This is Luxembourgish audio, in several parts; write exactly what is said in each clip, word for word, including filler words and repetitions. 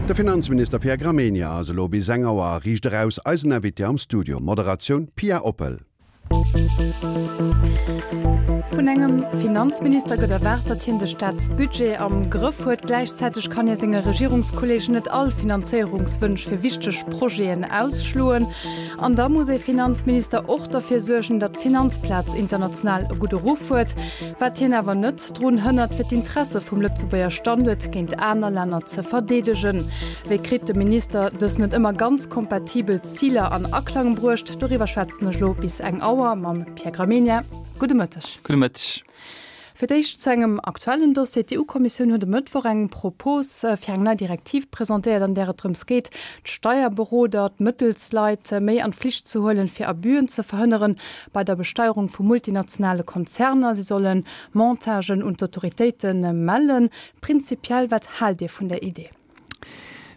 De Finanzminister Pierre Gramegna ass elo bis eng Auer a Riicht Eraus eisen Invité am Studio. Moderatioun Pia Oppel. Vun engem Finanzminister gëtt erwaart, datt hien de Staatsbudget am Grëff huet. Gläichzäiteg kann hie senge Regierungskolleegen net all Finanzéierungswënsch fir wichteg Projeten ausschloen. An da muss ee Finanzminister och derfir suergen, datt d'Finanzplaz international e gudde Ruff huet, wat hien awer net drun hënnert, fir d'Interesse vum Lëtzebuerger Standuert géint aner Länner ze verdeedegen. Wéi kritt de Minister dës net ëmmer ganz kompatibel Ziler an Aklang bruecht? Doriwwer schwätzen ech elo bis eng Auer mam Pierre Gramegna. Gudde Mëtteg. Gudde Mëtteg. Fir d'éischt zu engem aktuellen Dossier, D'EU-Kommissioun huet e Mëttwoch eng Propos fir eng nei Direktiv presentéiert, an där et drëms geet, d'Steierberoder, d'Mëttelsleit méi an d'Flicht ze huelen, fir Abüen ze verhënneren bei der Besteierung vu multinationale Konzerner. Si solle Montagen un d'Autoritéite mellen. Prinzipiell, wat haalt Dir vun der Idee?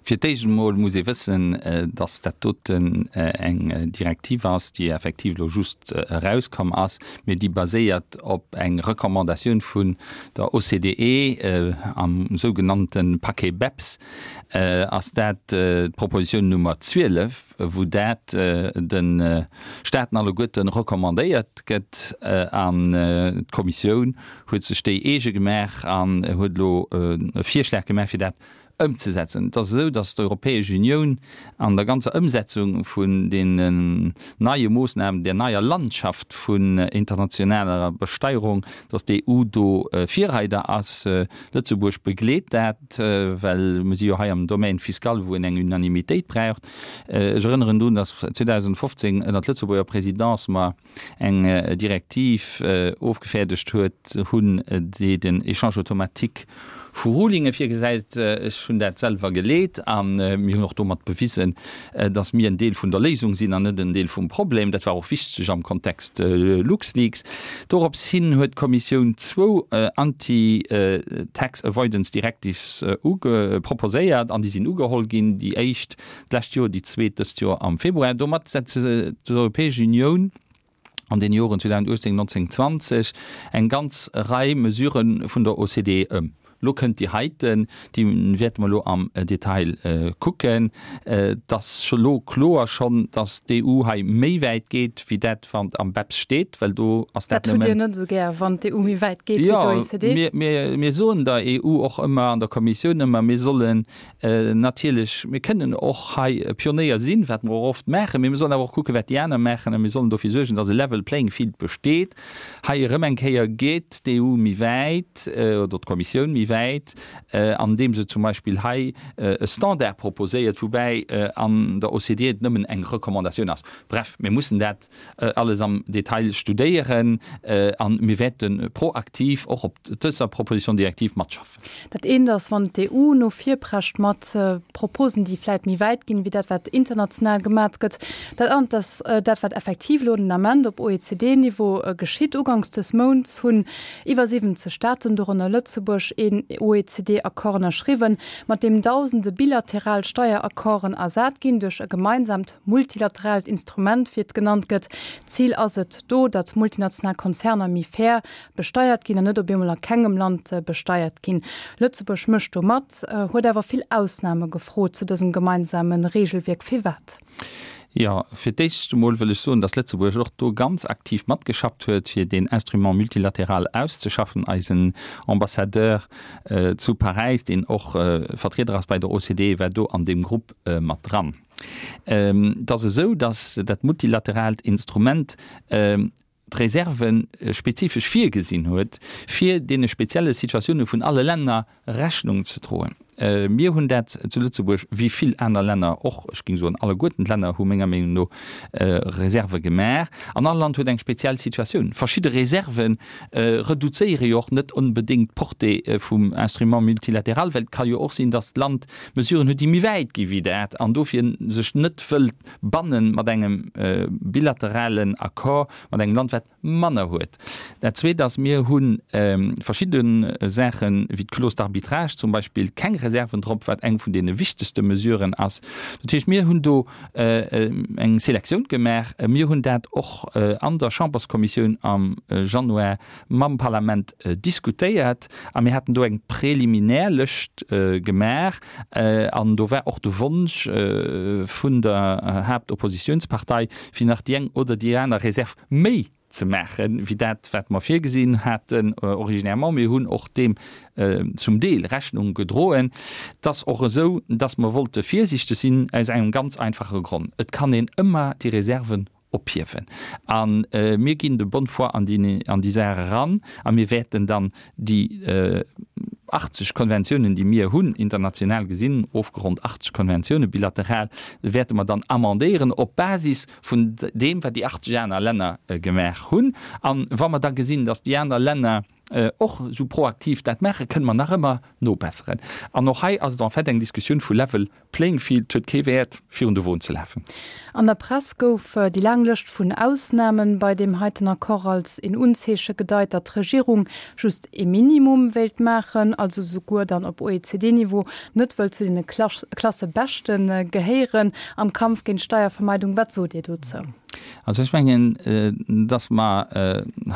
Fir d'éischt emol muss ee wëssen, dass dat doten eng Direktiv ass, déi effektiv elo just erauskomm ass, mee déi baséiert op eng Recommandatioun vun der OCDE. Am sougenannte Paquet BEPS ass dat d'Propositioun Nummer zwielef, wou dat de Staaten alleguerte recommandéiert gëtt. An d'Kommissioun huet sech déi eege gemaach an huet elo e Virschlag gemaach, fir dat ëmzesetzen. Et ass esou, datt d'Europäesch Unioun an der ganzer Ëmsetzung vun deenen neie Moossnamen, där neier Landschaft vun internationaler Besteierung, datt d'EU do Virreider ass. Lëtzebuerg begleet dat, well mir si jo hei am Domaine fiscal, wou een eng Unanimitéit braucht. Ech erënneren drun, datt zweedausendfofzéng ënnert Lëtzebuerger Présidence mer eng Direktiv ofgefäerdegt huet hunn, déi den Échange automatique vu Rulinge virgesäit. Ech hunn dat selwer geleet a mir hunn och domat bewisen, datt mir en Deel vun der Léisung sinn an net en Deel vum Problem. Dat war och wichteg am Kontext LuxLeaks. Dorops hin huet d'Kommissioun zwou Anti-Tax Avoidance Directives proposéiert an déi sinn ugeholl ginn, déi éischt d'lescht Joer, déi zweet dëst Joer am Februar. Domat setzt d'Europäesch Unioun an den Joren zweedausendachtzéng, neunzéng, zwanzeg eng ganz Rei Mesurë vun der O C D E ëm. Lo kënnt déi heiten, déi wäerte mer elo am Detail kucken. Et ass scho lo kloer schonn, datt d'E U hei méi wäit geet, wéi dat wat am BEPS steet, well do ass dat Dat hutt nëmmen. Dir net esou gär, wann d'E U méi wäit geet wéi Jo, d'O E C D? mir, mir, mir soen der E U och ëmmer, an der Kommissioun ëmmer, mir sollen natierlech, mir kënnen och hei Pionéier sinn, wat mer och oft maachen, mee mir sollen awer och kucken, wat déi aner maachen, a mir sollen dofir suergen, dass e level playing field besteet. Hei erëm eng Kéier geet d'E U méi wäit, oder d'Kommissioun méi wäit, andeem se zum Beispill hei e Standard proposéiert, woubäi an der O C D E et nëmmen eng Recommandatioun ass. Bref, mir mussen dat alles am Detail studéieren a mir wäerte proaktiv och op dëser Proposition directive matschaffen. Dat eent ass, wann d'E U no vir prescht mat Proposen, déi vläit méi wäit ginn, wéi dat, wat international gemat gëtt. Dat anert ass dat, wat effektiv elo den Ament op O E C D-Niveau geschitt. Uganks des Mounts hunn iwwer siwwenzeg Staaten, dorënner Lëtzebuerg, een O E C D-Accord ënnerschriwwen, mat deem dausende bilateral Steieraccorden ersat ginn duerch e gemeinsamt multilateraalt Instrument, wéi et genannt gëtt. Zil ass et do, datt multinational Konzerner méi fair besteiert ginn an net op eemol a kengem Land besteiert ginn. Lëtzebuerg mécht do mat, huet awer vill Ausname gefrot zu dësem gemeinsame Regelwierk. Firwat? Jo, fir d'éischt emol wëll ech soen, dass Lëtzebuerg och do ganz aktiv matgeschafft huet, fir deen Instrument multilatéral auszeschaffen. Eisen Ambassadeur zu Paräis, deen och Vertrieder ass bei der O C D E, war do an deem Grupp mat dran. Et ass esou, dass dat multilateraalt Instrument d'Reserve spezifesch virgesinn huet, fir deene spezielle Situatioune vun alle Länner Rechnung ze droen. Mir hunn dat zu Lëtzebuerg, wéi vill aner Länner och, ech géing soen alleguerten d'Länner hu menger Meenung no Reserve gemaach, an all Land huet eng speziell Situatioun. Verschidde Reserve reduzéiere jo och net onbedéngt d'Portée vum Instrument multilatéral, well et ka jo och sinn, datt d'Land Mesuren huet, déi méi wäit gi wéi dat an dofir sech net wëllt banne mat engem bilateralen Accord mat engem Land, wat manner huet. Dat Zweet ass, mir hu verschidde Saachen, wéi d'Clause d'arbitrage zum Beispill, keng Reserven drop, wat eng vun deene wichtegste Mesuren ass. Dat heescht, mir hunn do eng Selektioun gemaach. Mir hunn dat och an der Chamberskommissioun am Januar mam Parlament diskutéiert a mir haten do eng preliminär Lëscht gemaach an do war och de Wonsch vun der Haaptoppositionspartei, fir nach déi eng oder déi aner Reserv méi ze maachen, wéi dat, wat mer virgesinn haten originèrement. Mir hunn och deem zum Deel Rechnung gedroen. Et ass och esou, dass mer wollte virsiichteg sinn, aus engem ganz einfache Grond, Et kann een ëmmer déi Reserven ophiewen. A mir ginn de bonne foi an déi Saach eran a mir wäerten dann déi achtzeg Konventiounen, déi mir hunn, international gesinn, ofgeronnt achtzeg Konventiounen, bilateral, wäerte mer dann amendéieren op Basis vun deem, wat déi achtzeg aner Länner gemaach hunn. A wa mer da gesinn, datt déi aner Länner och esou proaktiv dat maachen, kënne mer nach ëmmer nobesseren. An och hei ass et en fait eng Diskussioun vu level playing field. Et huet kee Wäert, virun de Won ze lafen. An der Press gouf déi laang Lëscht vun Ausnamen bei deem heiten Accord als een Unzeeche gedeit, datt d'Regierung just ee Minimum wéilt maachen, also souguer dann op O E C D-Niveau net wëllt zu deene Klassebeschte gehéieren am Kampf géint d'Steiervermeidung. Wat sot Dir dozou? Also ech mengen, datt mer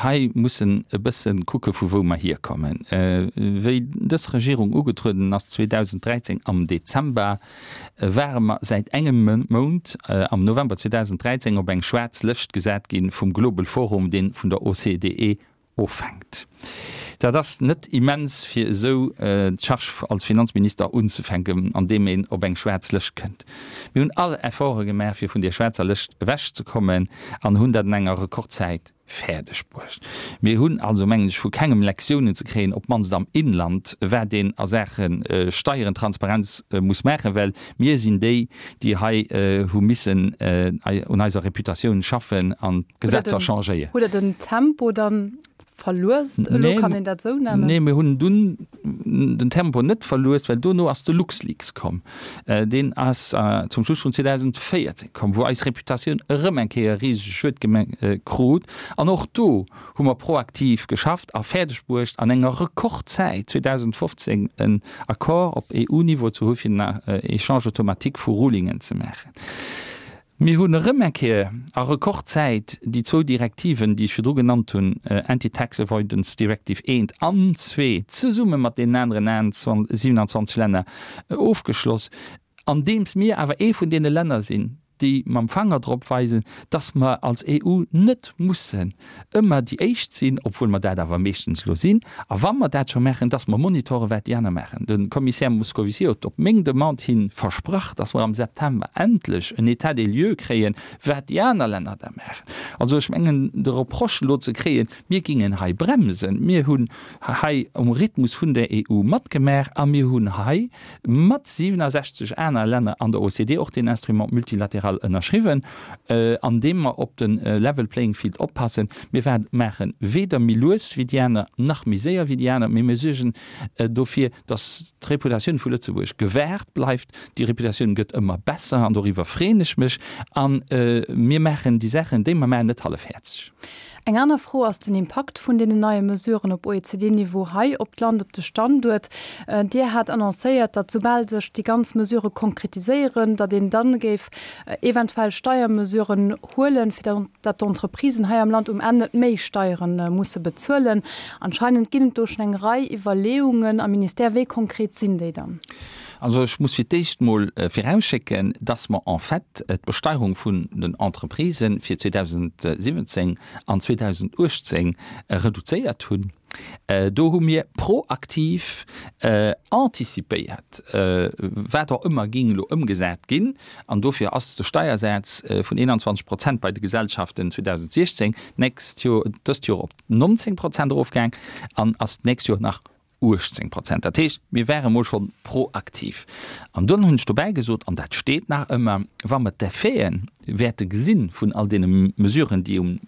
hei mussen e bësse kucke vu wou mer hierkommen. Wéi dës Regierung ugetrueden ass zweedausend dräizéng am Dezember, ware mer säit engem Mount, am November zweedausend dräizéng, op eng schwaarz Lëscht gesat gi vum Global Forum, dee vun der O C D E ofhänkt. Dat ass net immens fir esou d'Charge als Finanzminister unzefänken, andeem een op eng schwaarz Lëscht kënnt. Mir hunn all Efforte gemaach, fir vun där schwaarzer Lëscht ewechzekommen an hunn dat an enger Rekordzäit fäerdeg bruecht. Mir hunn also, mengen ech, vu kengem Lektiounen ze kréien, op d'mannst am Inland, wat een a Saache Steieren, Transparenz muss maachen, well mir sinn déi, déi hei hu missen un eiser Reputatioun schaffen an d'Gesetzer changéieren. Hutt Der den Tempo dann verluest elo, kann een dat esou nennen? Nee, mir hunn dunn den Tempo net verluest, well dono ass de LuxLeaks komm. Deen ass zum Schluss vun zweedausendvéierzéng komm, wou eis Reputatioun erëm eng Kéier e risege Schued krut. An och do hu mer proaktiv geschafft a fäerdeg bruecht, an enger Rekordzäit zweedausendfofzéng en Accord op E U-Niveau ze hu fir den Échange automatique vu Rulingen ze maachen. Mir hunn erëm eng Kéier a Rekordzäit déi zwou Direktiven, déi ech virdru genannt hunn, Anti-Tax Avoidance Directive eent an zwee, zesumme mat deenen aneren siewenanzwanzeg Länner ofgeschloss, andeems mir awer ee vun deene Länner sinn, déi mam Fanger drop weisen, dass mer als E U net mussen ëmmer déi Éischt sinn, obwuel mer dat awer meeschtens elo sinn, a wa mer dat scho maachen, dass mer monitoren, wat déi aner maachen. De Kommissär Moscovici huet op meng Demande hi versprach, dass mer am September endlech en État des lieux kréien, wat déi aner Länner da maachen. Also ech mengen, de Reproche elo ze kréien, mir gingen hei bremsen, mir hunn hei um Rhythmus vun der E U matgemaach a mir hunn hei mat siewenundsechzeg aner Länner an der O C D E och deen Instrument multilatéral ënnerschriwwen, an deem mer op de level playing field oppassen. Mir maache weder méi lues wéi déi aner, nach méi séier wéi déi aner, mee mir suergen dofir, datt d'Reputatioun vu Lëtzebuerg gewahrt bleift. Déi Reputatioun gëtt ëmmer besser an doriwwer freeën ech mech. A mir maachen déi Saachen, déi mer maachen, net hallefhäerzeg. Eng aner Fro ass den Impakt vun deenen neie Mesuren op O E C D-Niveau hei op d'Land, op de Standuert. Dir hat annoncéiert, datt soubal sech déi ganz Mesurë konkretiséieren, datt een dann géif eventuell Steiermesuren huelen, fir datt d'Entreprisen hei am Land um Enn net méi Steiere musse bezuelen. Anscheinend ginn et do schonn eng Rei Iwwerleeungen am Ministère. Wéi konkret sinn déi dann? Also ech muss fir d'éischt mol virausschécken, dass mer en fait d'Besteierung vun den Entreprisen fir zweedausendsiwwenzéng an zweedausendachtzéng reduzéiert hunn. Do hu mir proaktiv anticipéiert, wat och ëmmer géing elo ëmgesat ginn. An dofir ass de Steiersaz vun eenanzwanzeg Prozent bei de Gesellschaften zweedausendsiechzéng d'nächst Joer, dëst Joer op nonzéng Prozent erofgaang an ass d'nächst Joer nach uechtzéng Prozent. Dat heescht, mir ware mol scho proaktiv. An dunn hunn ech dobäi gesot, an dat steet nach ëmmer, wa mer d'Effeten wäerte gesinn vun all deene Mesuren, déi um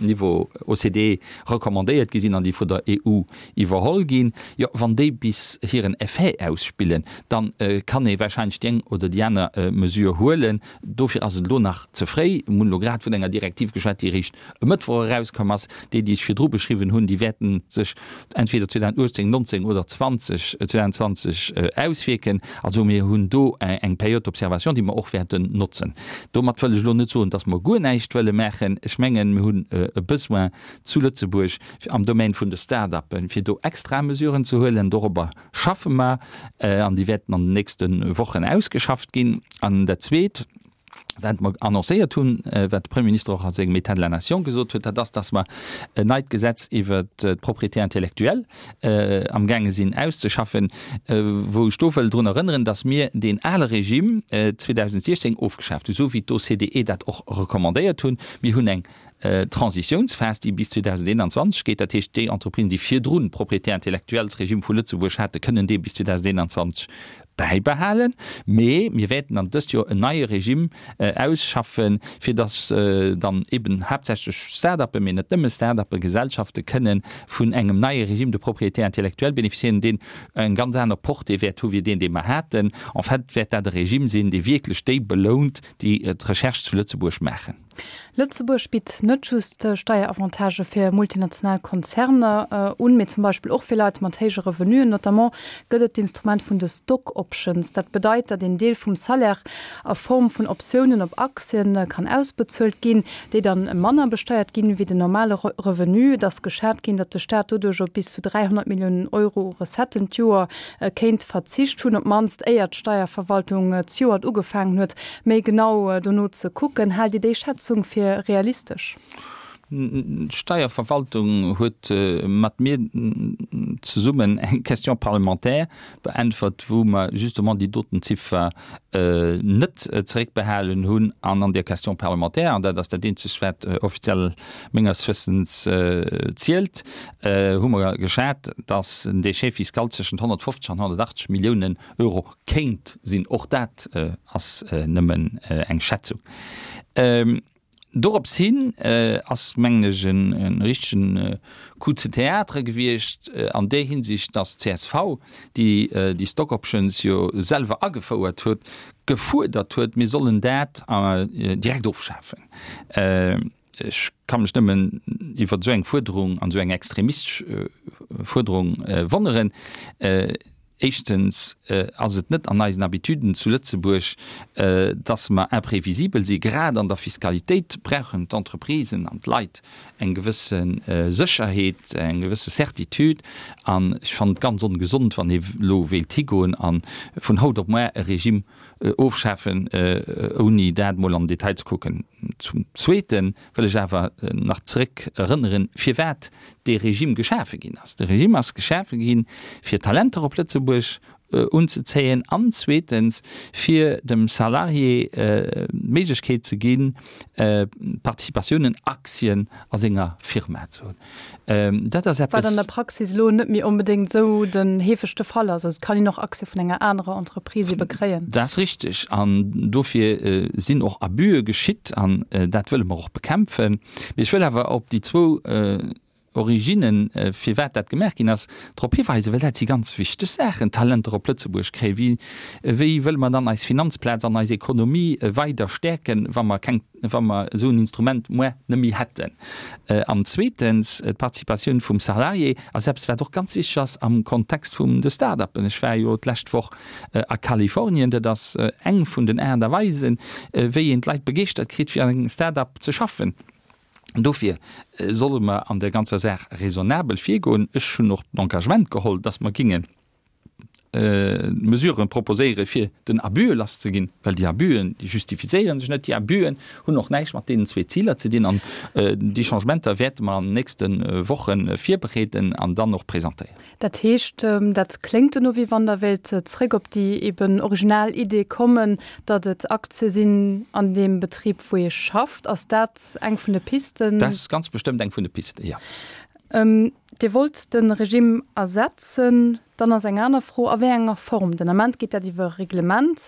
Niveau O C D E recommandéiert gi sinn an déi vun der E U iwwerholl ginn, jo, wann déi bis hiren Effet ausspillen, da kann ee wahrscheinlech déi eng oder déi aner Mesure huelen. Dofir ass et elo nach ze fréi. Mir hunn elo grad vun enger Direktiv geschwat, déi eréischt e Mëttwoch erauskomm ass. Déi, déi ech virdru beschriwwen hunn, déi wäerte sech entweder zweedausendachtzéng, neunzehn oder zwanzeg, zweitausendzwanzeg auswierken. Also mir hunn do eng Période d'observation, déi mer och wäerten notzen. Domat wëll ech elo net soen, dass mer guer näischt wëlle maachen. Ech mengen, mir hunn e Besoin zu Lëtzebuerg am Domaine vun de Start-uppen, fir do extra Mesuren ze huelen. Dorobber schaffe mer an déi wäerten an den nächste Wochen ausgeschafft ginn. An dat Zweet, wat mer annoncéiert hunn, wat de Premier Minister och a sengem État de la Nation gesot huet, dat ass, dass mer en neit Gesetz iwwert d'Propriété intellectuelle amgaange sinn auszeschaffen, wou ech do wëll drun erënneren, dass mir deen ale Regime zweedausendsechzehn ofgeschaaft hunn, esou wéi d'OCDE dat och recommandéiert hunn. Mir hunn eng Transitiounsphas, déi bis zweedausendeenanzwanzeg geet. Dat heescht, déi Entreprisen, déi virdrun Propriété intellectuelle-Regime vu Lëtzebuerg haten, kënnen dee bis zweedausendeenanzwanzeg bäibehalen. Mee mir wäerten dann dëst Joer en neie Regime ausschaffen, fir dass dann eben haaptsächlech Start-uppen, mee net nëmme Start-uppen, Gesellschafte kënnen vun engem neie Régime de propriété intellectuelle bénéficiéieren, deen eng ganz aner Portée wäert hu wéi deen, dee mer haten. En fait wäert dat e Regime sinn, dee wierklech déi belount, déi d'Recherche zu Lëtzebuerg maachen. Lëtzebuerg bitt net just Steieravantage fir multinational Konzerner un, mee zum Beispill och fir Leit mat héije Revenuen. Notamment gëtt et d'Instrument vun de Stock Options. Dat bedeit, datt een Deel vum Salaire a Form vun Optiounen op Aktien kann ausbezuelt ginn, déi dann manner besteiert ginn wéi den normale Revenu. Et ass geschat ginn, datt de Staat doduerch op bis zu dräihonnert Milliounen Euro u Recetten d'Joer kéint verzicht hunn, op d'mannst éier d'Steierverwaltung zejoert ugefaangen huet, méi genau dono ze kucken. Haalt Dir déi Schätzung fir realistesch? D'Steierverwaltung huet mat mir zesummen eng Question parlementaire beäntwert, wou mer justement déi doten Ziffer net zeréckbehalen hunn. An an där Question parlementaire, an dat ass dat eenzegt, wat offiziell menges Wëssens zielt, hu mer geschat, dass den Déchet fiscal zwëschent honnertfofzeg an honnertachtzeg Milliounen Euro kéint sinn. Och dat ass nëmmen eng Schätzung. Dorops hin ass, mengen ech, e richtegen Coup de théâtre gewiescht an där Hinsicht, dass d'C S V, déi déi Stock Options jo selwer agefouert huet, gefuerdert huet, mir sollen dat direkt ofschafen. Ech ka mech nëmmen iwwer esou eng Fuerderung an esou eng extremistesch Fuerderung wonneren. Éischtens ass et net an eisen Habituden zu Lëtzebuerg, dass mer imprévisibel si. Grad an der Fiskalitéit brauchen d'Entreprisen an d'Leit eng gewësse Sécherheet, eng gewësse Certitude. An ech fannen et ganz ongesond, wann ee elo wéilt higoen a vun haut op muer e Regime ofschafen, ouni dat mol am Detail ze kucken. Zum Zweete wëll ech awer nach zréck erënneren, firwat dee Regime geschafe ginn ass. De Regime ass geschafe ginn, fir Talenter op Lëtzebuerg unzezéien an zweetens, fir dem Salarié d'Méiglechkeet ze ginn, Participatiounen, Aktien a senger Firma ze hunn. Dat ass Wat an eppes. der Praxis elo net méi onbedéngt esou den heefegste Fall ass. Also et kann een och Aktie vun enger anerer Entreprise ebe kréien. Dat ass richteg an dofir sinn och Abüe geschitt an dat wëlle mer och bekämpfen. Mee ech wëll awer op déi zwou Originnen, firwat dat gemaach ginn ass, drop hiweisen, well dat si ganz wichteg Saachen, Talenter op Lëtzebuerg kréien. Wéi, wéi wëlle mer dann eis Finanzplaz an eis Ekonomie weider stäerken, wa mer keng, wa mer esou en Instrument muer net méi hätten? An zweetens, d'Participatioun vum Salarié ass eppes, wat och ganz wichteg ass am Kontext vum de Start-uppen. Ech war jo d'lescht Woch a Kalifornien. Dat ass eng vun den Aart a Weisen, wéi een d'Leit begeeschtert kritt, fir an engem Start-up ze schaffen. Dofir solle mer an där ganzer Saach raisonnabel virgoen. Ech hunn och d'Engagement geholl, dass mer géinge Mesuren proposéiere fir den Abüe lass ze ginn, well déi Abüen, déi justifizéiere sech net. Déi Abüen hunn och näischt mat deenen zwee Ziler ze dinn. An déi Changementer wäerte mer an den nächste Woche virbereeden an dann och presentéieren. Dat heescht, dat kléngt elo, wéi wann Der wéilt zréck op déi eben original Idee kommen, datt et Aktie sinn an deem Betrib, wou ee schafft. Ass dat eng vun de Pisten? Dat ass ganz bestëmmt eng vun de Pisten, jo. Dir wollt de Regime ersetzen. Dann ass eng aner Fro, a wéi enger Form. Den Ament geet dat iwwer e Reglement.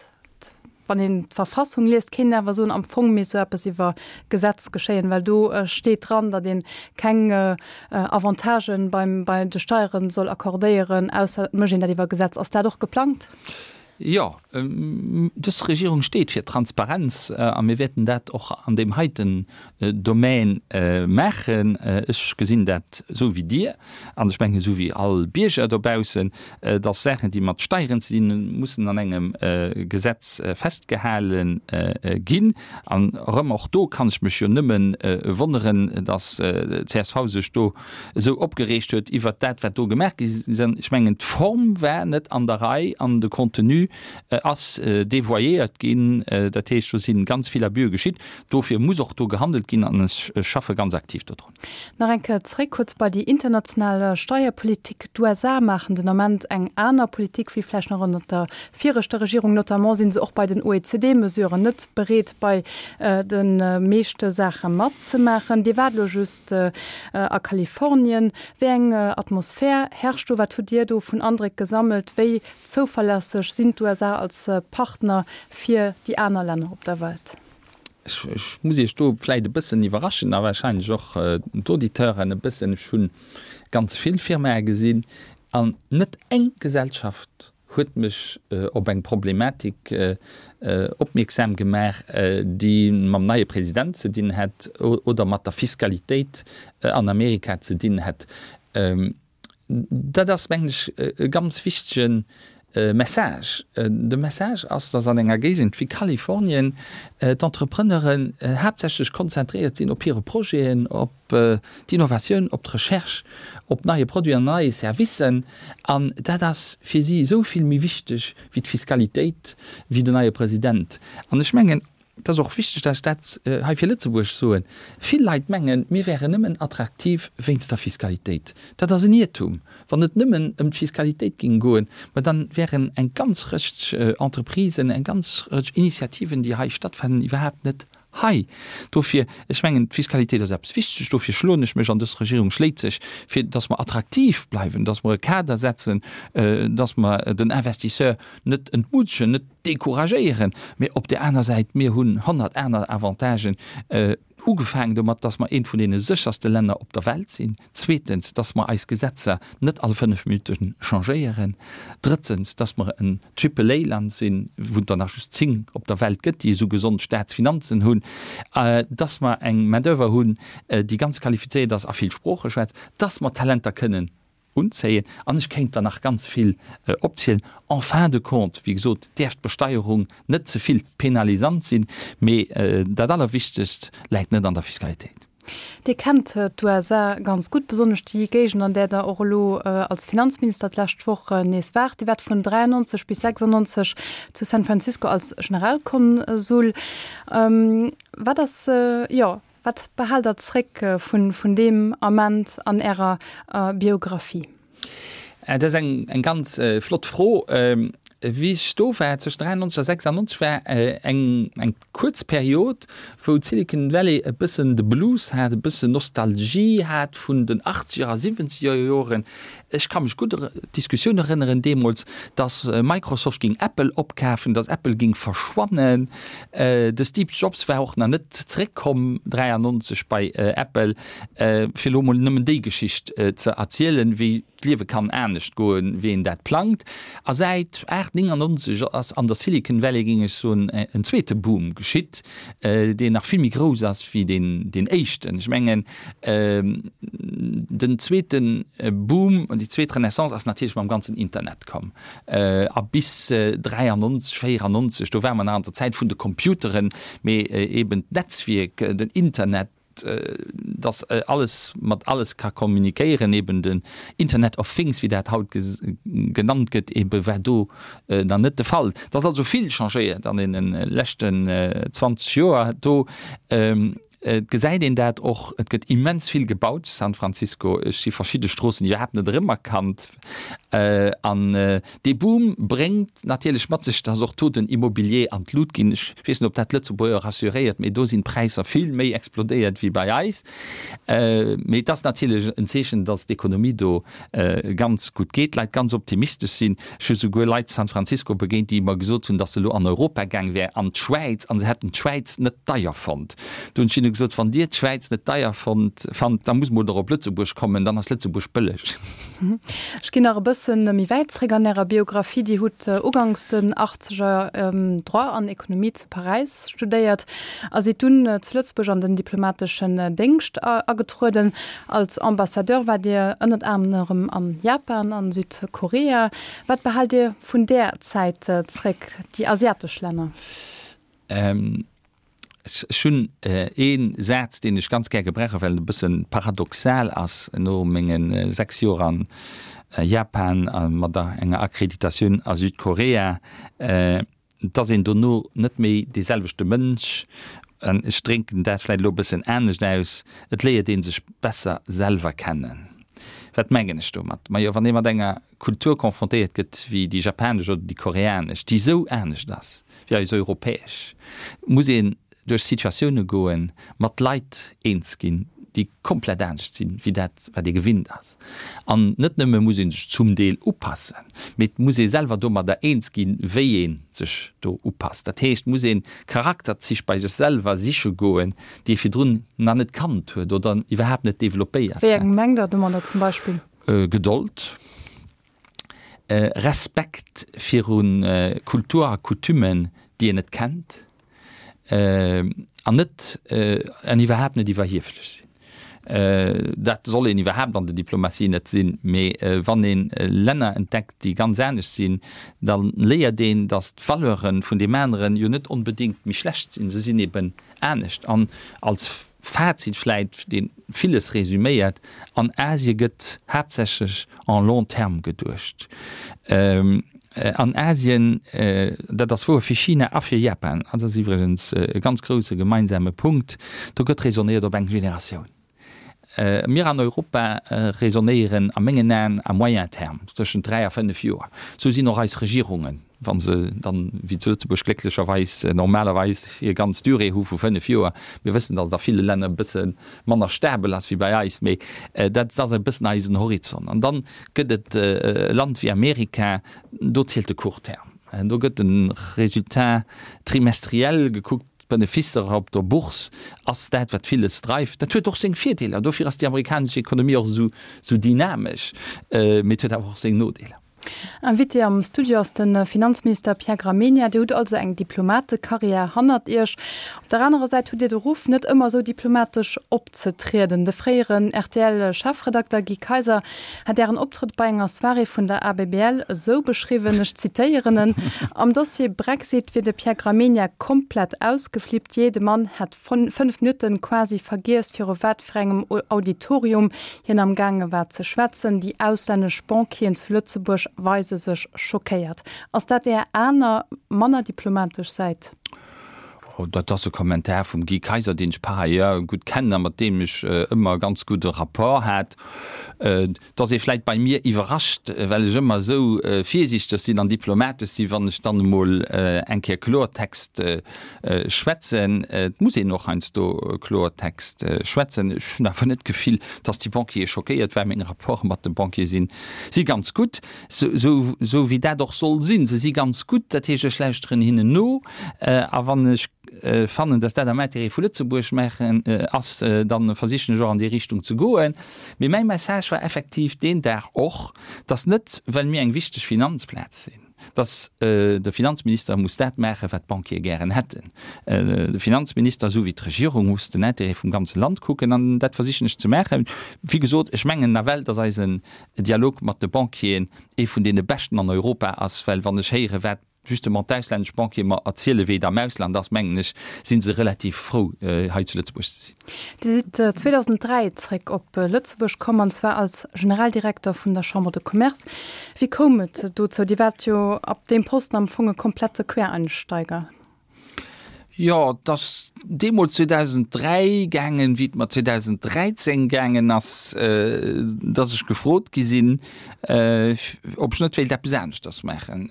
Wann een d'Verfassung liest, kéint een awer soen, am Fong misst esou eppes iwwer Gesetz geschéien, well do steet dran, datt ee keng Avantagen beim, bei de Steieren soll accordéieren, ausser et mécht een dat iwwer Gesetz. Ass dat och geplangt? Jo, dës Regierung steet fir Transparenz a mir wäerten dat och an deem heiten Domän maachen. Ech gesinn dat esou wéi Dir an ech mengen esou wéi all Bierger dobaussen, dass Saachen, déi mat Steieren ze dinn hunn, mussen an engem Gesetz festgehale ginn. An erëm, och do kann ech mech jo nëmme wonneren, dass d'CSV sech do esou opgereegt huet iwwert dat, wat do gemaach gi ass. Ech mengen, d'Form war net an der Rei an de Contenu ass devoyéiert ginn. Dat heescht, do si ganz vill Abuse geschitt. Dofir muss och do gehandelt ginn an ech schaffe ganz aktiv dodrun. Nach eng Kéier zréck kuerz bei déi international Steierpolitik. D'USA maachen den Ament eng aner Politik wéi vläicht nach ënnert der viregter Regierung. Notamment si se och bei den OECD-Mesuren net bereet, bei de meeschte Saache matzemaachen. Dir waart elo just a Kalifornien. Wéi eng Atmosphär herrscht do? Wat hutt Dir do vun Andréck gesammelt? Wéi zouverlässeg sinn d'USA als Partner fir déi aner Länner op der Welt? Ech muss Iech do vläicht e bëssen iwwerraschen a wahrscheinlech och d'Auditeuren e bëssen. Ech hu ganz vill Firmae gesinn an net eng Gesellschaft huet mech op eng Problematik opmierksam gemaach, déi mam neie President ze dinn hätt oder mat der Fiskalitéit an Amerika ze dinn hätt. Dat ass, mengen ech, e ganz wichtege Message. De Message ass, dass an enger Géigend wéi Kalifornien d'Entrepreneuren haaptsächlech konzentréiert sinn op hire Projeten, op d'Innovatioun, op d'Recherche, op neie Produiten an neie Servicen. An dat ass fir si esou vill méi wichteg wéi d'Fiskalitéit, wéi den neie President. An ech mengen, et ass och wichteg, dass ech dat hei fir Lëtzebuerg soen, Vill Leit mengen, mir wären nëmmen attraktiv wéinst der Fiskalitéit. Dat ass en Iertum. Wann et nëmmen ëm d'Fiskalitéit géing goen, ma dann wären eng ganz Rëtsch Entreprisen, eng ganz Rëtsch Initiativen, déi hei stattfannen, iwwerhaapt net hei. Dofir, ech mengen, d'Fiskalitéit ass eppes Wichteges. Dofir schloen ech mech, an dës Regierung schléit sech, fir dass mer attraktiv bleiwen, dass mer e Kader setzen, dass mer den Investisseur net entmutegen, net decouragéieren. Mee op där aner Säit, mir hunn honnert aner Avantagen, ugefaangen domat, dass mer eent vun deene sécherste Länner op der Welt sinn, zweetens, dass mer eis Gesetzer net all fënnef Minutte changéieren, drëtzens, dass mer en Triple-A-Land sinn, wou et der nach just zéng op der Welt gëtt, déi esou gesond Staatsfinanzen hunn, dass mer eng Main-d'oeuvre hunn, déi ganz qualifizéiert ass a vill Sprooche schwätzt, dass mer Talenter kënnen unzéien, an ech kéint der nach ganz vill opzielen. En fin de compte, wéi gesot, däerf d'Besteierung net ze vill penalisant sinn, mee dat Allerwichtegst läit net an der Fiskalitéit. Dir kennt d'USA ganz gutt, besonnesch déi Géigend, an där Der och elo als Finanzminister d'lescht Woch nees waart. Dir waart vun dräiannonzeg bis sechsannonzeg zu San Francisco als Generalkonsul. Wat ass, jo, Wat behaalt Der zréck vun deem Ament an Ärer Biographie? Dat ass eng ganz flott Fro. Wéi ech do war, zwëschen dräiannonzeg a sechsannonzeg, war eng kuerz Period, wou d'Silicon Valley e bëssen de Blues hat, e bëssen Nostalgie hat vun den achtzeger a siwwenzeger Joren. Ech ka mech gutt un d'Diskussioun erënneren deemools, dass Microsoft géing Apple opkafen, dass Apple géing verschwannen. De Steve Jobs war och nach net zeréckkomm dräiannonzeg bei Apple, fir elo emol nëmmen déi Geschicht ze erzielen, wéi d'Liewe kann anescht goen, wéi een dat plangt. A säit aacht néngannonzeg ass an der Silicon Valley, géing ech soen, en zweete Boom geschitt, deen nach vill méi grouss ass wéi deen éischten. Ech mengen, den zweete Boom, déi zweet Renaissance ass natierlech mam ganzen Internet komm. A bis dräiannonzeg, véierannonzeg, do ware mer nach an der Zäit vun de Computeren, mee eben d'Netzwierk, den Internet, dass alles mat alles ka kommunikéieren, eben den Internet of Things, wéi dat haut genannt gëtt, ebe war do nach net de Fall. Et ass also vill changéiert an deene leschten zwanzeg Joer do. Et gesäit een dat och, et gëtt immens vill gebaut zu San Francisco. Ech si verschidde Stroossen iwwerhaapt net erëmerkannt. An dee Boom bréngt natierlech mat sech, dass och do den Immobilier an d'Lut ginn. Ech weess net, ob dat d'Lëtzebuerger rassuréiert, mee do sinn d'Präisser vill méi explodéiert wéi bei eis. Mee et ass natierlech en Zeechen, dass d'Ekonomie do ganz gutt geet, d'Leit ganz optimistesch sinn. Ech hu souguer Leit zu San Francisco begéint, déi mer gesot hunn, dass se elo an Europa gaang wär, an d'Schwäiz, a se hätten d'Schwäiz net deier fonnt. Do hunn ech hinne gesot, gesot, wann Dir d'Schwäiz net deier fonnt, fannt, da musst mol der op Lëtzebuerg kommen, dann ass Lëtzebuerg bëlleg. Ech ginn nach e bëssen méi wäit zréck an Ärer Biografie. Dir hutt uganks den Achtzeger Droit an Ekonomie zu Paräis studéiert a sidd dunn zu Lëtzebuerg an den diplomateschen Déngscht agetrueden. Als Ambassadeur waart Dir ënnert anerem an Japan an Südkorea. Wat behaalt Dir vun där Zäit zréck, déi asiatesch Länner? Ech hunn ee Saz, deen ech ganz gär gebrauchen, well en e bësse paradoxal ass, no menge sechs Joer an Japan a mat enger Akkreditatioun a Südkorea, et ass een dono net méi dee selwechte Mënsch. An ech drénken dat vläicht elo e bëssen anescht aus, et léiert ee sech besser selwer kennen. Wat mengen ech domat? Majo, wann ee mat enger Kultur confrontéiert gëtt wéi déi japanesch oder déi koreanesch, déi esou anescht ass wéi eis europäesch, muss een duerch Situatioune goen, mat Leit eens ginn, déi komplett anescht sinn, wéi dat, wat ee gewinnt ass. An net nëmme muss ee sech zum Deel upassen, mee et muss ee selwer domadder eens ginn, wéi ee sech do upasst. Dat heescht, et muss ee Charakterzich bei sech selwer siche goen, déi ee virdrun nach net kannt huet oder iwwerhaapt net developpéiert Wéi eng hat. Mengt Der domadder zum Beispill? Gedold, Respekt viru Kultur a Coutumen, déi een net kennt. An net, an iwwerhaapt net iwwerhieflech sinn. Dat soll een iwwerhaapt an der Diplomatie net sinn, mee wann ee Länner entdeckt, déi ganz anescht sinn, da léiert een, datt d'Valeure vun deem aneren jo net onbedéngt méi schlecht sinn, se sinn eben anescht. An als Fazit vläit, dee villes resüméiert, An Asie gëtt haaptsächlech en long terme geduecht. An Asien, dat ass wouer fir China a fir Japan, dat ass iwwregens e ganz grousse gemeinsame Punkt, do gëtt raisonnéiert op eng Generatioun. Mir an Europa raisonnéieren a mengen Aen à moyen terme, tëschent dräi a fënnef Joer. Esou sinn och eis Regierungen, wa se dann, wéi zu Lëtzebuerg glécklecherweis, normalerweis hir ganz Durée hu vu fënnef Joer. Mir wëssen, datt et a ville Länner e bësse manner stabel ass wéi bei eis, mee dat ass e bëssen eisen Horizont. An dann gëtt et e Land wéi Amerika, do zielt de court terme. Do gëtt de Résultat trimestriel gekuckt, d'Benefisser op der Bourse ass dat, wat villes dreift. Dat huet och seng Virdeeler, dofir ass déi amerikanesch Ekonomie och esou dynamesch, mee et huet awer och seng Nodeeler. Invité am Studio ass de Finanzminister Pierre Gramegna. Dir hutt also eng Diplomatekarriär hannert Iech. Op der anerer Säit hutt Dir de Ruff, net ëmmer esou diplomatesch opzetrieden. De fréieren R T L-Chefredakter Guy Kaiser hat Ären Optrëtt bei enger Soirée vun der A B B L esou beschriwwen, ech zitéieren en, Am Dossier Brexit wier de Pierre Gramegna komplett ausgeflippt. Jee, de Mann hätt fënnef Minutten quasi vergiess, viru wat fir engem Auditorium hien am gaange war ze schwätzen. Déi auslännesch Banquieren zu Lëtzebuerg weise sech schockéiert. Ass dat Är aner, manner diplomatesch Säit? Dat ass e Kommentar vum Guy Kaiser, deen ech par ailleurs gutt kennen a mat deem ech ëmmer ganz gudde Rapport hat. Et ass ee vläit bei mir iwwerrascht, well ech ëmmer esou virsiichteg sinn an diplomatesch sinn, wann ech dann emol eng Kéier Kloertext schwätzen. Et muss een och heiansdo Kloertext schwätzen. Ech hunn awer net d'Gefill, dass déi Banquiere schockéiert waren. Meng Rapporte mat de Banquiere sinn si ganz gutt, esou wéi dat och soll sinn. Se si ganz gutt, dat heescht, ech lauschteren hinnen no a wann ech fannen, dass dat am Intérêt vu Lëtzebuerg maachen ass, da versichen ech och an déi Richtung ze goen. Mee mäi Message war effektiv deen Dag och, dass net, well mir eng wichteg Finanzplaz sinn, dass de Finanzminister muss dat maachen, wat d'Banquiere gären hätten. De Finanzminister, esou wéi d'Regierung, muss den Intérêt vum ganze Land kucken, an dat versichen ech ze maachen. Wéi gesot, ech mengen nawell, dass eisen Dialog mat de Banquieren ee vun deene beschten an Europa ass, well wann ech héieren, wat justement d'auslännesch Banquiere mer erzielen, wéi et am Ausland ass, mengen ech, si se relativ frou, hei zu Lëtzebuerg ze sinn. Dir sidd zweedausenddräi zréck op Lëtzebuerg komm, an zwar als Generaldirekter vun der Chambre de Commerce. Wéi koum et dozou? Dir waart jo ab deem Posten am Fong e komplette Quereinsteiger. Jo, et ass deemools zweedausenddräi gaangen, wéi et mer zweedausenddräizéng gaangen ass, dass ech gefrot gi sinn, ob ech net wéilt eppes aneschters maachen.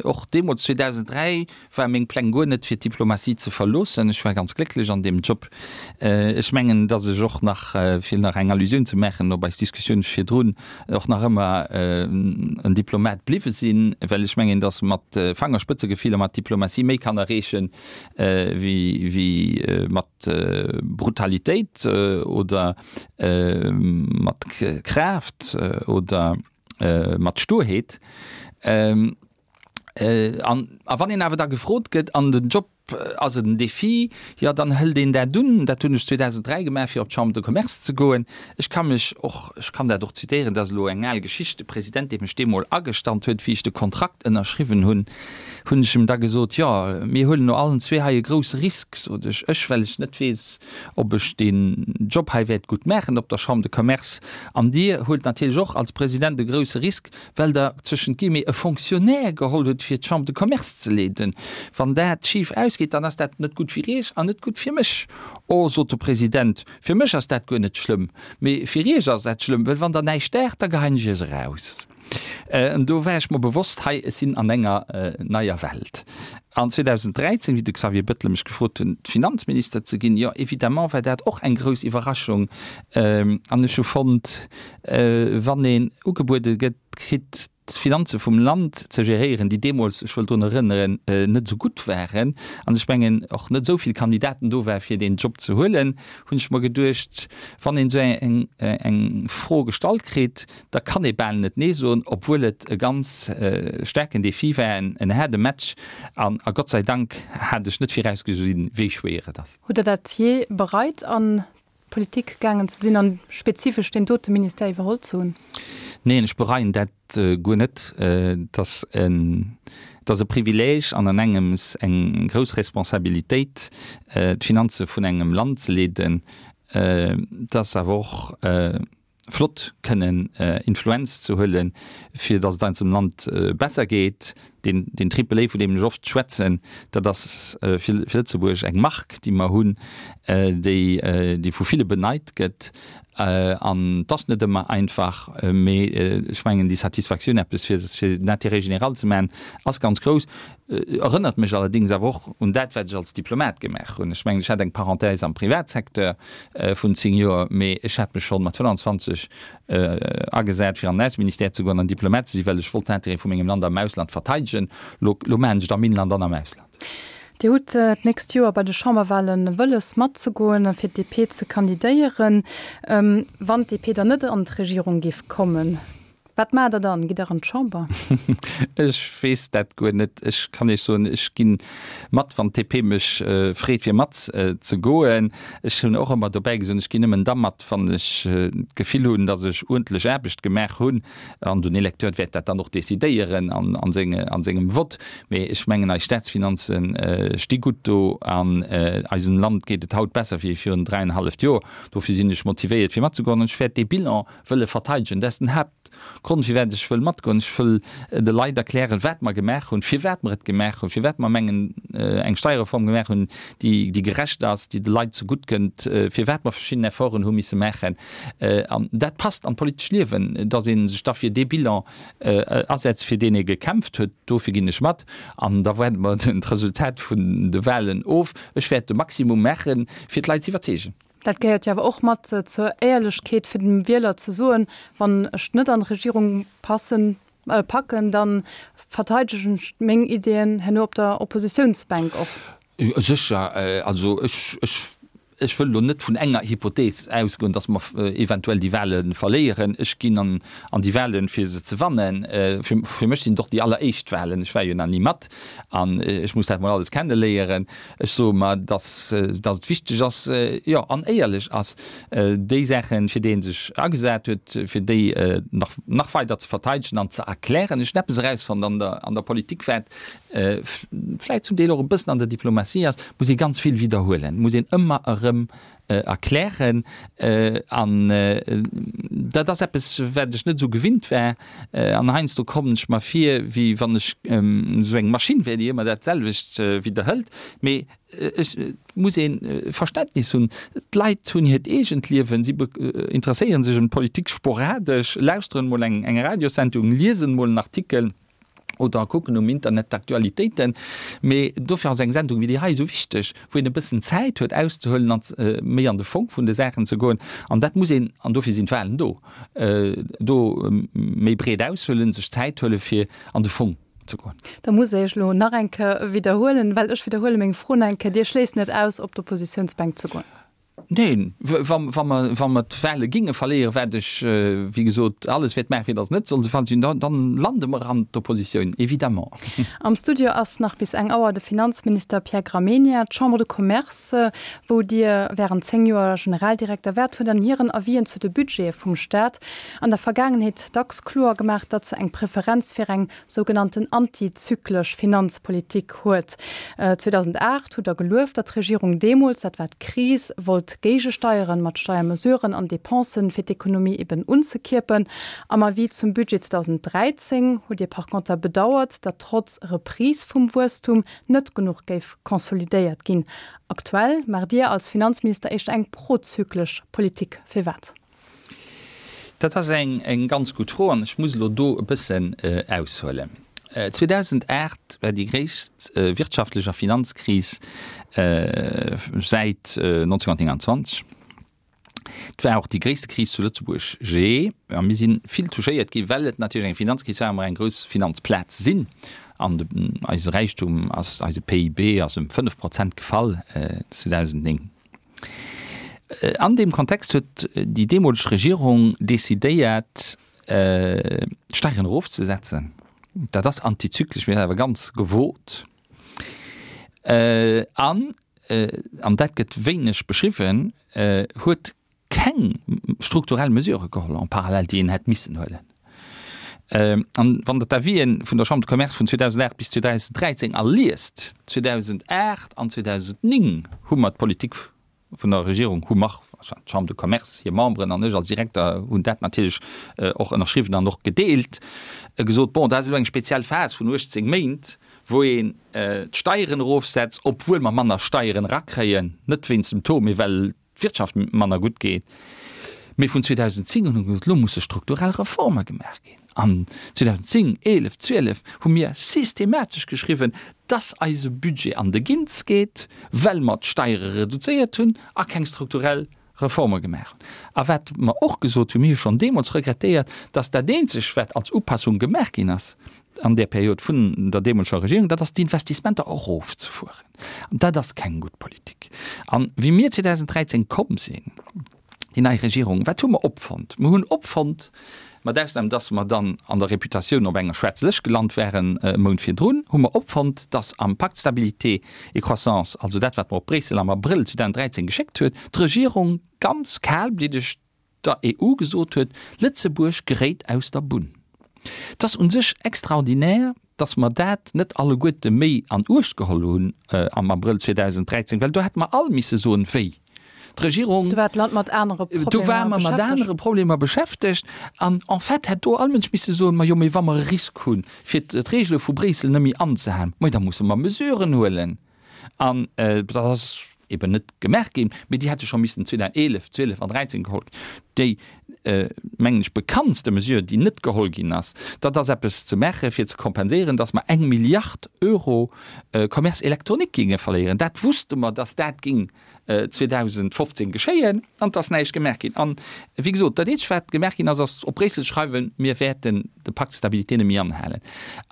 Och deemools, zweedausenddräi, war meng Pläng guer net, fir d'Diplomatie ze verloossen. Ech war ganz glécklech an deem Job. Ech mengen, dass ech och nach, fir nach eng Allusioun ze maachen op eis Diskussioun virdrun, och nach ëmmer en Diplomat bliwwe sinn, well ech mengen, dass mat Fangerspëtzegefill a mat Diplomatie méi kann erreechen, wéi mat Brutalitéit oder mat Kraaft oder mat Sturheet. An a wann een awer da gefrot gëtt an den Job ass en Défi, jo dann hëlt een dat un. Dat hunn ech zweedausenddräi gemaach, fir op d'Chambre de Commerce ze goen. Ech ka mech och, ech kann dat och zitéieren, dat ass elo eng al Geschicht, de President, dee mech deemol agestallt huet, wéi ech de Kontrakt ënnerschriwwen hunn, hunn ech em da gesot, jo mir huelen no allen zwee hei e grousse Risk, sot ech, ech well ech net weess, ob ech deen Job hei wäert gutt maachen op der Chambre de Commerce an Dir huelt natierlech och als President e grousse Risk, well Der zwëschent Guillemets e Fonctionnaire geholl hutt, fir d'Chambre de Commerce ze leeden. Wann dat schif ausgeet, dann ass dat net gutt fir Iech an net gutt fir mech. Oh, sot de President, fir mech ass dat guer net schlëmm, mee fir Iech ass dat schlëmm, well wann Der näischt daacht, da geheien ech Iech eraus. An do war ech mer bewosst, hei, ech sinn an enger neier Welt. An zweedausenddräizéng, wéi de Xavier Bettel mech gefrot hunn, Finanzminister ze ginn, jo, évidemment war dat och eng grouss Iwwerraschung. An ech hu fonnt, wann een ugebuede gëtt, kritt, d'Finanze vum Land ze geréieren, déi deemools, ech wëll drun erënneren, net esou gutt waren, an ech mengen och net esou vill Kandidaten do war fir deen Job ze huelen, hunn ech mer geduecht, wann een esou eng Fro gestallt kritt, da kann ee bal net Nee soen, obwuel et e ganz staarken Défi war, en haarde Match. An a Gott sei Dank hat ech net virausgesinn, wéi schwéier et ass. Hutt Der dat jee bereit, an d'Politik gaangen ze sinn an spezifesch deen dote Ministère iwwerholl ze hunn? Neen, ech bereien dat guer net. Et ass en, et ass e Privileeg an an engems eng grouss Responsabilitéit, d'Finanze vun engem Land ze leeden. Et ass awer och flott kënnen Influenz ze huelen, fir datt et eisem Land besser geet. Deen, deen Triple A, vun deem ech oft schwätzen, dat ass fir Lëtzebuerg eng Mark, déi mer hunn, déi, déi vu ville beneit gëtt. An et ass net ëmmer einfach, mee ech mengen, déi Satisfaktioun, eppes fir, fir den Intérêt général ze maachen, ass ganz grouss. Erënnert mech allerdéngs awer och un dat, wat ech als Diplomat gemaach hunn. Ech mengen, ech hat eng Parenthèse am Privatsecteur vun zéng Joer, mee ech hat mech schonn mat fënnanzwanzeg agesat, fir an den Ausseministère ze goen an Diplomat ze sinn, well ech wollt d'Intérêtë vu mengem Land am Ausland verteidegen. Lo, lo maachen ech et am Inland an am Ausland. Dir hutt d'nächst Joer bei de Chamberwahlen wëlles matzegoen a fir d'D P ze kandidéieren. Wann d'D P dann net an d'Regierung géif kommen, wat maacht Der dann? Gitt Der an d'Chamber? Ech weess dat guer net. Ech kann Iech soen, ech gi mat, wann d'D P mech freet, fir mat ze goen. Ech hunn och ëmmer dobäi gesot, ech ginn nëmmen da mat, wann ech d'Gefill hunn, datt ech uerdentlech Aarbecht gemaach hunn. An den Electeur wäert dat dann och decidéieren an sengem Vott. Mee ech mengen, eis Staatsfinanze sti gutt do an eisem Land geet et haut besser wéi virun dräienhalleft Joer. Dofir sinn ech motivéiert, fir matzegoen. An ech wäert dee Bilan wëlle verteidegen. Dat ass den Haaptgrond, firwat ech wëll matgoen. Ech wëll de Leit erklären, wat mer gemaach hunn, firwat mer et gemaach hunn, firwat mer mengen, eng Steierreform gemaach hunn, déi, déi gerecht ass, déi de Leit zegutt kënnt, firwat mer verschidden Efforten hu misse maachen. An dat passt an d'politescht Liewen, datt ee sech da fir dee Bilan asetzt, fir deen ee gekämpft huet. Dofir ginn ech mat. An da waarde mer d'Resultat vun de Wahlen of. Ech wäert de Maximum maachen, fir d'Leit ze iwwerzeegen. Dat gehéiert jo awer och mat zur Éierlechkeet, fir dem Wieler ze soen, Wann ech net an d'Regierung passen, packen, da verteidegen ech meng Iddien herno op der Oppositiounsbänk och. Sécher. Also ech, ech, ech wëll elo net vun enger Hypothees ausgoen, datt mer eventuell déi Wahle verléieren. Ech ginn an, an déi Wahlen, fir se ze wannen. Fir, fir mech sinn et och déi alleréischt Wahlen. Ech war jo nach ni mat an ech muss dat mol alles kenneléieren. Ech soe mer, datt, datt et wichteg ass, jo, an éierlech ass, déi Saachen, fir déi ee sech agesat huet, fir déi nach, nach weider ze verteidegen an ze erklären. Ech hunn eppes erausfonnt an der, an der Politik, wat vläicht zum Deel och e bëssen an der Diplomatie ass, muss ee ganz vill widderhuelen, muss een ëmmer erëm erklären. An dat ass eppes, wat ech net esou gewinnt war. An heiansdo kommen ech mer vir, wéi wann ech esou eng Maschinn wär, déi ëmmer dat selwecht widderhëlt. Mee et muss ee Verständnis hunn. D'Leit hunn hiert eegent Liewen, si interesséiere sech ëm d'Politik sporadesch, lauschteren emol eng Radiossendung, liesen emol en Artikel. Oder kucken um Internet d'Aktualitéiten. Mee dofir ass eng Sendung wéi déi hei esou wichteg, wou een e bëssen Zäit huet auszehuelen an méi an de Fong vun de Saachen ze goen. An dat muss een, an dofir sinn d'Wahlen do, do méi breet aushuelen, sech Zäit huele fir an de Fong ze goen. Da muss ech elo nach eng Kéier widderhuelen, well ech widderhuele meng Fro nach eng Kéier, Dir schléisst net aus, op d'Oppositiounsbänk ze goen? Neen, wa mer, wa mer d'Wahle ginge verléieren, wat ech, wéi gesot, alles wäert maachen, fir datt et net soll de Fall sinn, dann lande mer an d'Oppositioun, évidemment. Am Studio ass nach bis eng Auer de Finanzminister Pierre Gramegna. D'Chambre de Commerce, wou Dir während zéng Joer Generaldirekter waart, huet an hiren Avisen zu de Budgete vum Staat an der Vergaangenheet dacks kloer gemaach, datt se eng Preferenz fir eng sougenannten antizyklesch Finanzpolitik huet. zweedausendacht hutt Der gelueft, datt d'Regierung deemools, dat war d'Kris, wollt géigesteieren, mat Steiermesuren an Depensen, fir d'Ekonomie eben unzekierpen. Am Avis zum Budget zweedausenddräizéng hutt Dir par conter bedauert, datt trotz Reprise vum Wuesstum net genuch géif konsolidéiert ginn. Aktuell maacht Dir als Finanzminister éischter eng prozyklesch Politik. Firwat? Dat ass eng ganz gutt Fro an ech muss elo do e bëssen aushuelen. zweedausendacht war déi gréisst wirtschaftlech a Finanzkris säit neunzehnhundertneunundzwanzeg. Et war och déi gréisste Kris zu Lëtzebuerg jee. A mir si vill touchéiert ginn, well et natierlech eng Finanzkris war a mer eng grouss Finanzplaz sinn. An eise Räichtum ass, eise P I B ass ëm fënnef Prozent gefall zweedausendnéng. An deem Kontext huet déi deemoleg Regierung decidéiert, d'Steieren erofzesetzen. Dat ass antizyklesch, mee awer ganz gewot. An, an dat gëtt wéineg beschriwwen, huet keng strukturell Mesurë geholl en parallèle, déi een hätt missen huelen. An wann Der d'Avisen vun der Chambre de Commerce vun zweedausendacht bis zweedausenddräizéng all liest, zweedausendacht an zweedausenddnéng hu mer d'Politik vun der Regierung, hu mer, enfin d'Chambre de Commerce, hir Memberen an ech als Direkter hunn dat natierlech och ënnerschriwwen an och gedeelt, gesot, bon, dat ass elo eng speziell Phas vun uechtzéng Méint, wou een d'Steieren erofsetzt, obwuel mer manner Steieren erakréien, net wéinst dem Taux, mee well d'Wirtschaft manner gutt geet. Mee vun zweedausendzéng un hu mer gesot, elo musse strukturell Reforme gemaach ginn. An zweedausendzéng, eelef, zwielef hu mir systematesch geschriwwen, dass eise Budget an de Ginz geet, well mer d'Steiere reduzéiert hunn a keng strukturell Reforme gemaach hunn. A wat mer och gesot hunn, mir hu schonn deemools regrettéiert, dass dat eenzeg, wat als Upassung gemaach ginn ass an där Period vun der deemoleger Regierung, dat ass d'Investissementer erofzefueren. An dat ass keng gutt Politik. An wéi mir zweedausenddräizéng komm sinn, déi nei Regierung, wat hu mer opfonnt? Mer hunn opfonnt, mat Ausnam dass mer dann an der Reputatioun op enger schwaarze Lëscht gelant waren e Mount virdrun, hu mer opfonnt, dass am Pacte de stabilité et croissance, also dat wat mer op Bréissel am Abrëll zweedausenddräizéng geschéckt huet, d'Regierung ganz kalbliddeg der E U gesot huet, Lëtzebuerg geréit aus der Bunn. Et ass u sech extraordinär, dass mer dat net alleguerte méi an Uecht geholl hunn am Abrëll zweedausenddräizéng, well do hätte mer all misse soen, wéi d'Regierung. Do war d'Land mat anere Problemer Do ware mer mat anere Problemer beschäftegt an en fait hätt do all Mënsch misse soen, majo, mee wa mer e Risk hunn, fir d'Regele vu Bréissel net méi anzehalen, ma da musse mer Mesuren huelen. An dat ass eben net gemaach ginn, mee déi hätte scho missen zweedausendeelef, zwielef an dräizéng geholl ginn. Déi, mengen ech, bekanntste Mesure, déi net geholl ginn ass, dat ass eppes ze maache fir ze kompenséieren, datt mer eng Milliard Euro Commerce électronique géinge verléieren. Dat wusste mer, datt dat géing zweedausendfofzéng geschéien, an et ass näischt gemaach ginn. An, wéi gesot, dat eenzegt, wat gemaach ginn ass, ass op Bréissel schreiwen, mir wäerten de Pacte de stabilité net méi anhalen.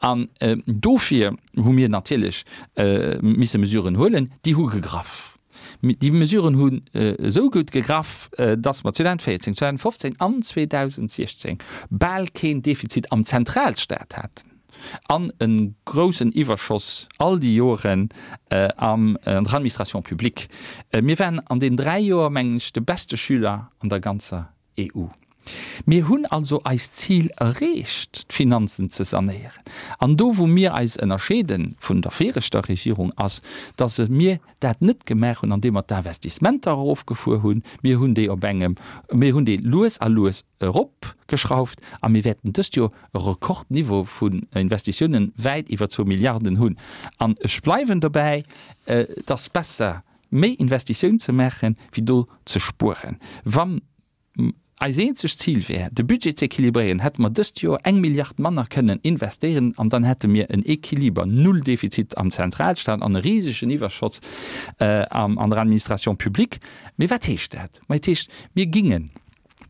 An dofir hu mir natierlech misse Mesuren huelen, déi hu gegraff. Déi Mesuren hunn esou gutt gegraff, datt mer zweedausendvéierzéng, zweedausendfofzéng an zweedausendsechzéng bal keen Defizit am Zentralstaat haten an e groussen Iwwerschoss all déi Joren an der Administration publique. Mir waren an deenen dräi Joer, mengen ech, de beste Schüler an der ganzer E U. Mir hunn also eist Zil erreecht, d'Finanzen ze sanéieren. An do, wou mir eis ënnerscheede vun der viregter Regierung, ass, dass mir dat net gemaach hunn, andeem mer d'Investissementer erofgefuer hunn. Mir hunn déi op engem, mir hunn déi lues a lues eropgeschrauft a mir wäerten dëst Joer e Rekordniveau vun Investitiounen wäit iwwer zwou Milliarden hunn. An ech bleiwen dobäi, et ass besser, méi Investitioun ze maachen, wéi do ze spueren. Wann eis eenzegt Zil wär, de Budget ze équilibréieren, hätte mer dëst Joer eng Milliard manner kënnen investéieren an dann hätte mir en Équiliber, null Defizit am Zentralstaat an e risegen Iwwerschotz an der Administration publique. Mee wat heescht dat? Ma et heescht, mir gingen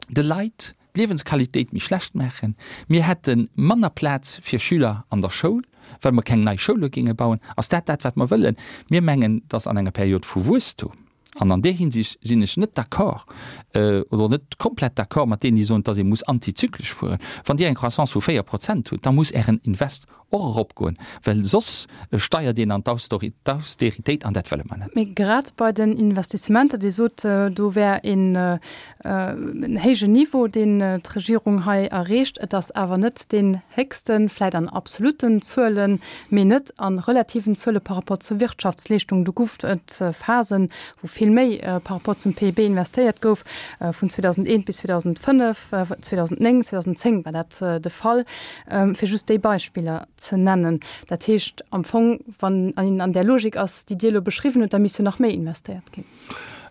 de Leit, d'Liewensqualitéit méi schlecht maachen, mir hätte manner Plaz fir Schüler an der Schoul, well mer keng nei Schoule géinge bauen. Ass dat dat, wat mer wëllen? Mir mengen, dass an enger Period vu Wuesstum, an an där Hinsicht sinn ech net d'accord oder net komplett d'accord mat deenen, déi soen, dass ee muss antizyklesch fueren, wann Dir eng Croissance vu véier Prozent hutt, da muss Ären Invest och eropgoen, well soss steiert een an d'Austeritéit, an dat wëlle mer net. Mee grad bei den Investissementer, Dir sot, do wär een héijen Niveau, deen d'Regierung hei erreecht. Et ass awer net deen héchsten, vläicht an absolutten Zuelen, mee net a relativen Zuele par rapport zur Wirtschaftsleeschtung. Do gouf et Phasen, wou vill méi par rapport zum P I B investéiert gouf, vun zweedausendeent bis zweedausendfënnef, zweedausendnéng, zweedausendezéng war dat de Fall, fir just déi Beispiller ze nennen. Dat heescht am Fong, wann een an där Logik ass, déi Dir elo beschriwwen hutt, da misst jo nach méi investéiert ginn.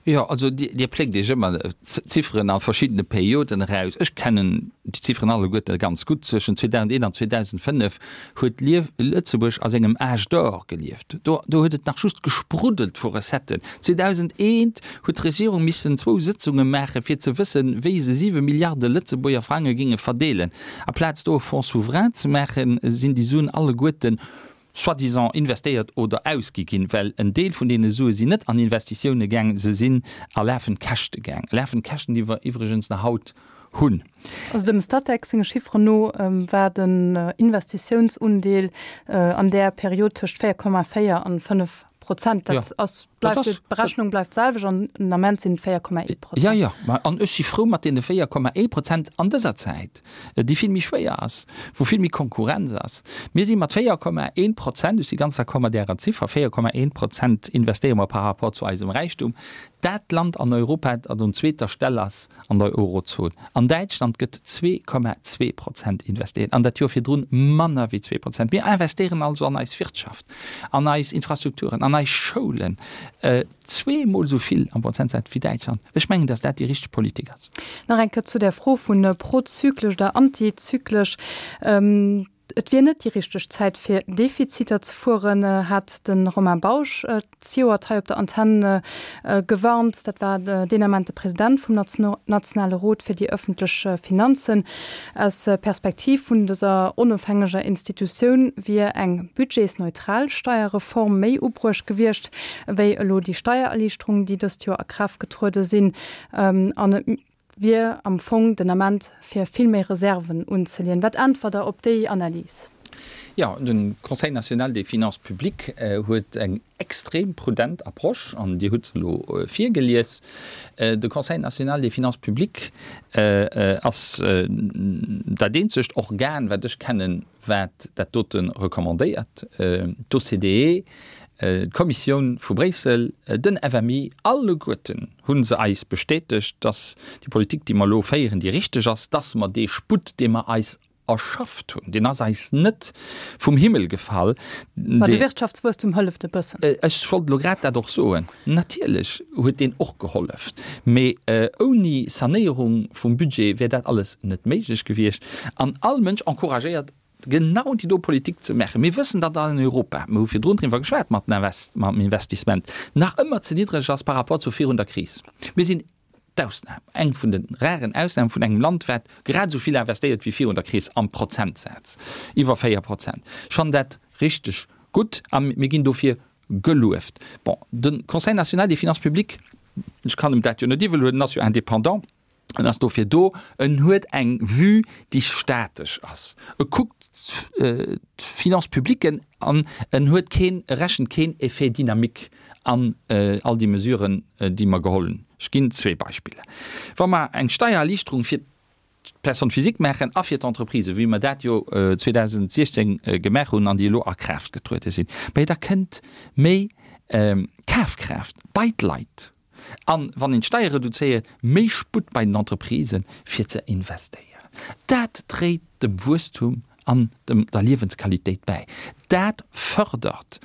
Jo, also Dir pléckt Iech ëmmer Zifferen a verschiddene Perioden eraus. Ech kennen déi Zifferen alleguerte ganz gutt. Zwëschen zweedausendeent an zweedausendfënnef huet Lëtzebuerg a sengem Âge d'or gelieft. Do huet et nach just gespruddelt vu Recetten. Zweedausendeent huet d'Regierung missen zwou Sëtzunge maachen, fir ze wëssen, wéi se siwe Milliarde Lëtzebuerger Frange géinge verdeelen. Aplaz do e Fonds souverain ze maachen, sinn déi Suen alleguerten soi-disant investéiert oder ausgi ginn, well en Deel vun deene Sue sinn net an Investitioune gaang, se sinn a lafend Käschte gaang, lafend Käschten, déi mer iwwregens nach haut hunn. Also dem Statec senge Chifferen no war den Investitiounsundeel an där Period tëscht véier Komma véier an fënnef Prozent. Dat ass, bleift, d'Berechnung bleift d'selwecht an den Ament sinn et véier Komma ee Prozent. Jo, jo, ma an ech si frou mat deene véier Komma ee Prozent an dëser Zäit, déi vill méi schwéier ass, wou vill méi Konkurrenz ass. Mir si mat véier Komma ee Prozent, ech si ganz d'accord mat Ärer Ziffer, véier Komma ee Prozent investéiere mer par rapport zu eisem Räichtum, dat Land an Europa, dat un zweeter Stell ass an der Eurozon. An Däitschland gëtt zwee Komma zwee Prozent investéiert, an dat Joer virdrun manner wéi zwee Prozent. Mir investéieren also an eis Wirtschaft, an eis Infrastrukturen, an eis Schoulen zweemol esou vill am Prozentsaz wéi Däitschland. Ech mengen, datt dat déi richteg Politik ass. Nach eng Kéier zu där Fro vu prozyklesch oder antizyklesch. Et wier net déi richteg Zäit fir Defiziter ze fueren, hat de Romain Bausch zejoert hei op der Antenn gewarnt. Dat war deen Ament de President vum Nationale Rot fir déi ëffentlech Finanzen. Aus Perspektiv vun dëser onofhängeger Institutioun wier eng budgetsneutral Steierreform méi ubruecht gewiescht, wéi elo déi Steiererliichterungen, déi dëst Joer a Kraaft getruede sinn. An et wier am Fong den Ament fir vill méi Reserven unzeleeën. Wat äntwert Der op déi Analys? Jo, de Conseil national des finances publiques huet eng extrem prudent Approche, an Dir hutt se elo virgelies. De Conseil national des finances publiques ass dat eenzegt Organ, wat ech kennen, wat dat dote recommandéiert. D'O C D E, d'Kommissioun vu Bréissel, den F M I, alleguerten hu se eis bestätegt, dass déi Politik, déi mer elo féieren, déi richteg ass, dass mer dee Sputt, dee mer eis erschafft hunn, deen ass eis net vum Himmel gefall. Ma de Wirtschaftswuesstum hëlleft e bëssen. Ech wollt elo grad dat och soen. Natierlech huet deen och gehollef, mee ouni Sanéierung vum Budget wär dat alles net méiglech gewiescht. An all Mënsch encouragéiert genau déi do Politik ze maachen. Mir wëssen, datt an Europa, mir hu virdrun driwwer geschwat mat mam Investissement, nach ëmmer ze niddreg ass par rapport zu virun der Kris. Mir sinn d'Ausnam, eng vun de raren Ausname vun engem Land, wat grad esou vill investéiert wéi virun der Kris am Prozentsaz, iwwer véier Prozent. Ech fannen dat richteg gutt a mir ginn dofir gelueft. Bon, de Conseil national des finances publiques, ech kann em dat jo net iwwel huelen, en ass jo indépendant, En ass dofir do. En huet eng Vue, déi statesch ass. E kuckt d'Finances publiques an en huet keen, e rechent keen Effet dynamique an all déi Mesuren, déi mer geholl hunn. Ech ginn zwee Beispiller. Wa mer eng Steiererliichterung fir d'Personne physique maachen a fir d'Entreprisen, wéi mer dat jo zweedausentsiechzéng gemaach hunn an déi elo a Kraaft getruede sinn, mä da kënnt méi Kafkraaft bei d'Leit. An wann een d'Steier reduzéiert, méi Sputt bei den Entreprisen, fir ze investéieren. Dat dréit dem Wuesstum an dem der Liewensqualitéit bäi. Dat fërdert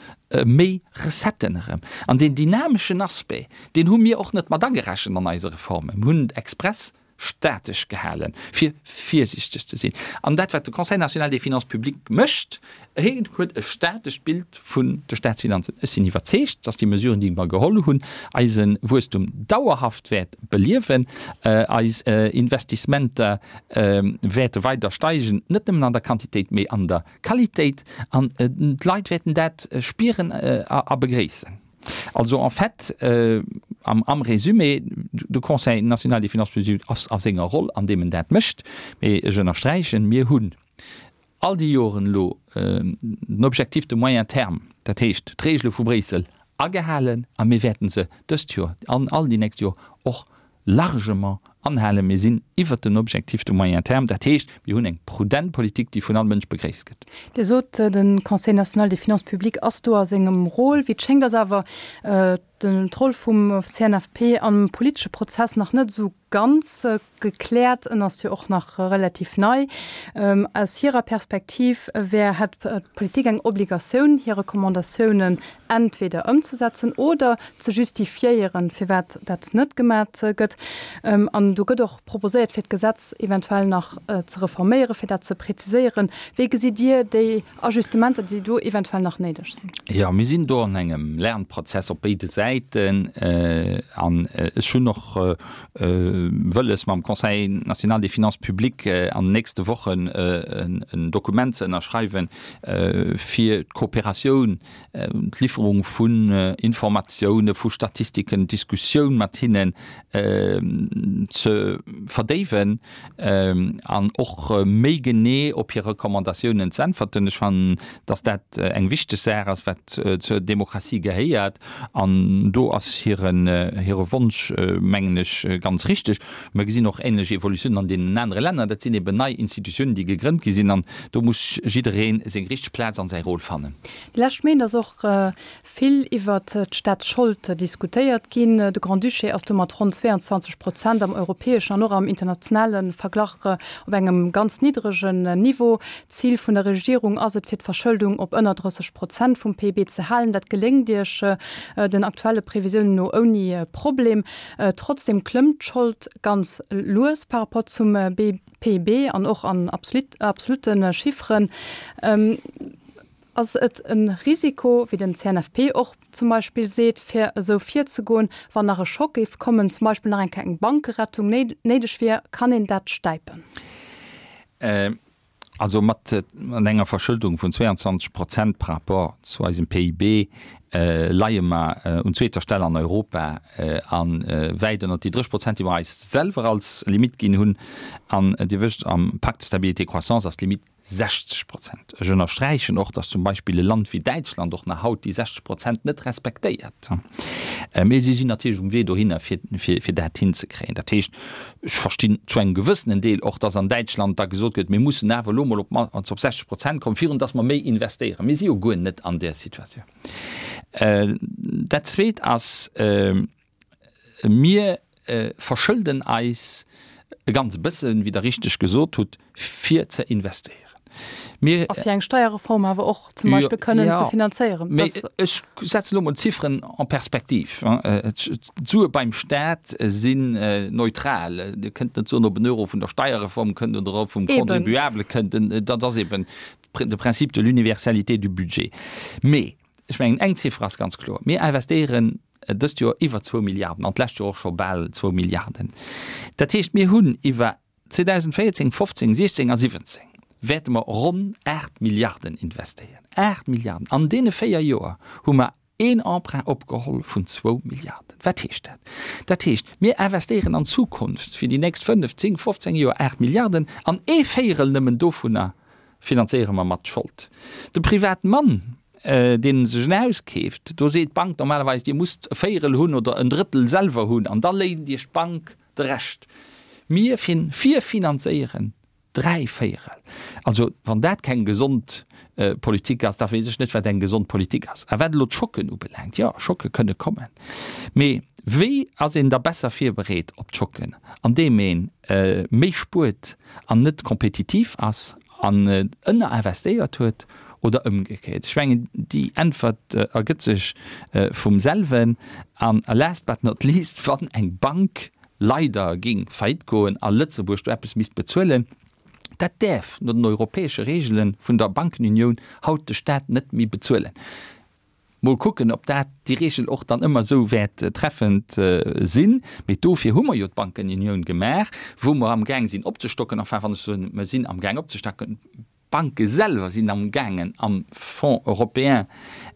méi Recetten erëm. An deen dynameschen Aspect, deen hu mir och net mat agerechent an eise Reformen. Mir hunn express statesch gehalen, fir virsiichteg ze sinn. An dat, wat de Conseil national des finances publiques mécht, hien huet e statescht Bild vun de Staatsfinanzen. Ech sinn iwwerzeegt, dass déi Mesuren, déi mer geholl hunn, eise Wuesstum dauerhaft wäert beliewen, eis Investissementer wäerte weider steigen, net nëmmen an der Quantitéit, mee an der Qualitéit, an d'Leit wäerten dat spieren a begréissen. Also en fait, am Résumé, de Conseil national des finances publiques ass a senger Roll, an deem en dat mécht, mee ech ënnersträichen, mir hunn all déi Joren elo den Objectif de moyen terme, dat heescht d'Regele vu Bréissel, agehalen a mir wäerten se dëst Joer an all déi nächst Joer och largement anhalen. Mir sinn iwwert den Objectif de moyen terme, dat heescht, mir hunn eng prudent Politik, déi vun all Mënsch begréisst gëtt. Dir sot, de Conseil national des finances publiques ass do a sengem Rôle. Wéi et schéngt, ass awer d'Roll vum C N F P am politesche Prozess nach net esou ganz gekläert. En ass jo och nach relativ nei. Aus hirer Perspektiv wär, hätt d'Politik eng Obligatioun, hir Recommandatiounen entweder ëmzesetzen oder ze justifiéieren, firwat dat net gemat gëtt. An do gëtt och proposéiert, fir d'Gesetz eventuell nach ze reforméieren, fir dat ze präziséieren. Wéi gesitt Dir déi Ajustementer, déi do eventuell nach néideg sinn? Jo, mir sinn do an engem Lernprozess op béide Säiten an ech hunn och wëlles, mam Conseil national des finances publiques an den nächste Wochen en Dokument ze ënnerschreiwen, fir d'Kooperatioun, d'Lifferung vun Informatioune, vu Statistiken, d'Diskussioun mat hinnen ze verdéiwen an och méi genee op hir Recommandatiounen z'äntwerten. Ech fannen, dass dat eng wichteg Saach ass, wat zur Demokratie gehéiert, an do ass hiren hire Wonsch, mengen ech, ganz richteg. Mer gesinn och änlech Evolutiounen an deenen anere Länner. Dat sinn eben nei Institutiounen, déi gegrënnt gi sinn, an do muss jidderee seng richteg Plaz an säi Rôle fannen. Déi lescht Méint ass och vill iwwert d'Staatsschold diskutéiert ginn. De Grand-Duché ass do mat ronn zwee an zwanzeg Prozent am europäeschen an och am internationale Verglach op engem ganz niddregen Niveau. D'Zil vun der Regierung ass et, fir d'Verschëldung op ënner drësseg Prozent vum P I B ze halen. Dat geléngt Iech den aktuelle Previsiounen no ouni Problem. Trotzdeem klëmmt d'Schold ganz lues par rapport zum P I B an och an absolutte Chifferen. Ass et e Risiko, wéi den C N F P och zum Beispill seet, fir esou virzegoen, wann nach e Schock géif kommen, zum Beispill nach eng Kéier eng Bankerettung néideg wier, kann een dat stäipen? Also mat enger Verschëldung vun zwee an zwanzeg Prozent par rapport zu eisem P I B leie mer un zweeter Stell an Europa a wäit ënnert déi dréisseg Prozent, déi mer eis selwer als Limitt ginn hunn. An Dir wësst, am Pacte de stabilité et croissance ass d'Limitt sechzeg Prozent. Ech ënnersträichen och, datt zum Beispill e Land wéi Däitschland och nach haut déi sechzeg Prozent net respektéiert. Mee si sinn natierlech um Wee dohinner, fir, fir, fir dat hinzekréien. Dat heescht, ech verstinn zu engem gewëssenen Deel och, datt an Däitschland da gesot gëtt, mir mussen awer elo mol op op sechzeg Prozent kommen, virun datt mer méi investéieren. Mir si jo guer net an där Situatioun. Dat Zweet ass, mir verschëlden eis e ganz bëssen, wéi Der richteg gesot hutt, fir ze investéieren. Mir, a fir eng Steierreform awer och zum Beispill kënnen ze finanzéieren. Mee ech setzen elo mol d'Zifferen en perspective. D'Sue beim Staat sinn neutral. Dir kënnt net soen, ob en Euro vun der Steierreform kënnt oder ob vum Contribuable kënnt. Dat ass eben de Principe de l'universalité du budget. Mee ech mengen, eng Ziffer ass ganz kloer, Mir investéieren dëst Joer iwwer zwou Milliarden an d'lescht Joer och scho bal zwou Milliarden. Dat heescht, mir hunn iwwer zweedausendvéierzéng, fofzéng, siechzéng a siwwenzéng wäerte mer ronn aacht Milliarden investéieren. Aacht Milliarden! An deene véier Joer hu mer een Emprunt opgeholl vun zwou Milliarden. Wat heescht dat? Dat heescht, mir investéieren an Zukunft fir déi nächst fënnef, zéng, fofzéng Joer aacht Milliarden an ee Véierel nëmmen dovunner finanzéiere mer mat Schold. De Privatmann, deen sech en Haus keeft, do seet d'Bank normalerweis, Dir musst e Véierel hunn oder en Drëttel selwer hunn an da léint Iech d'Bank de Rescht. Mir virfinanzéieren dräi Véierel. Also wann dat keng gesond Politik ass, da weess ech net, wat eng gesond Politik ass. A wat elo d'Schocken ubelaangt, jo, Schocke kënne kommen. Mee wéi ass een da besser virbereet op d'Schocken? Andeem ee méi spuert an net kompetitiv ass an ënnerinvestéiert huet oder ëmgekéiert? Ech mengen, déi Äntwert ergëtt sech vum selwen. An last but not least, wann eng Bank leider géing faillite goen a Lëtzebuerg do eppes misst bezuelen, dat däerf no den europäesche Reegele vun der Bankenunioun haut de Staat net méi bezuelen. Mol kucken, ob dat déi Reegel och dann ëmmer esou wäert treffend sinn. Mee dofir hu mer jo d'Bankenunioun gemaach, wou mer amgaang sinn opzestocken. Enfin, wann ech soen, mer sinn amgaang opzestacken, d'Banke selwer sinn amgaangen am Fonds européen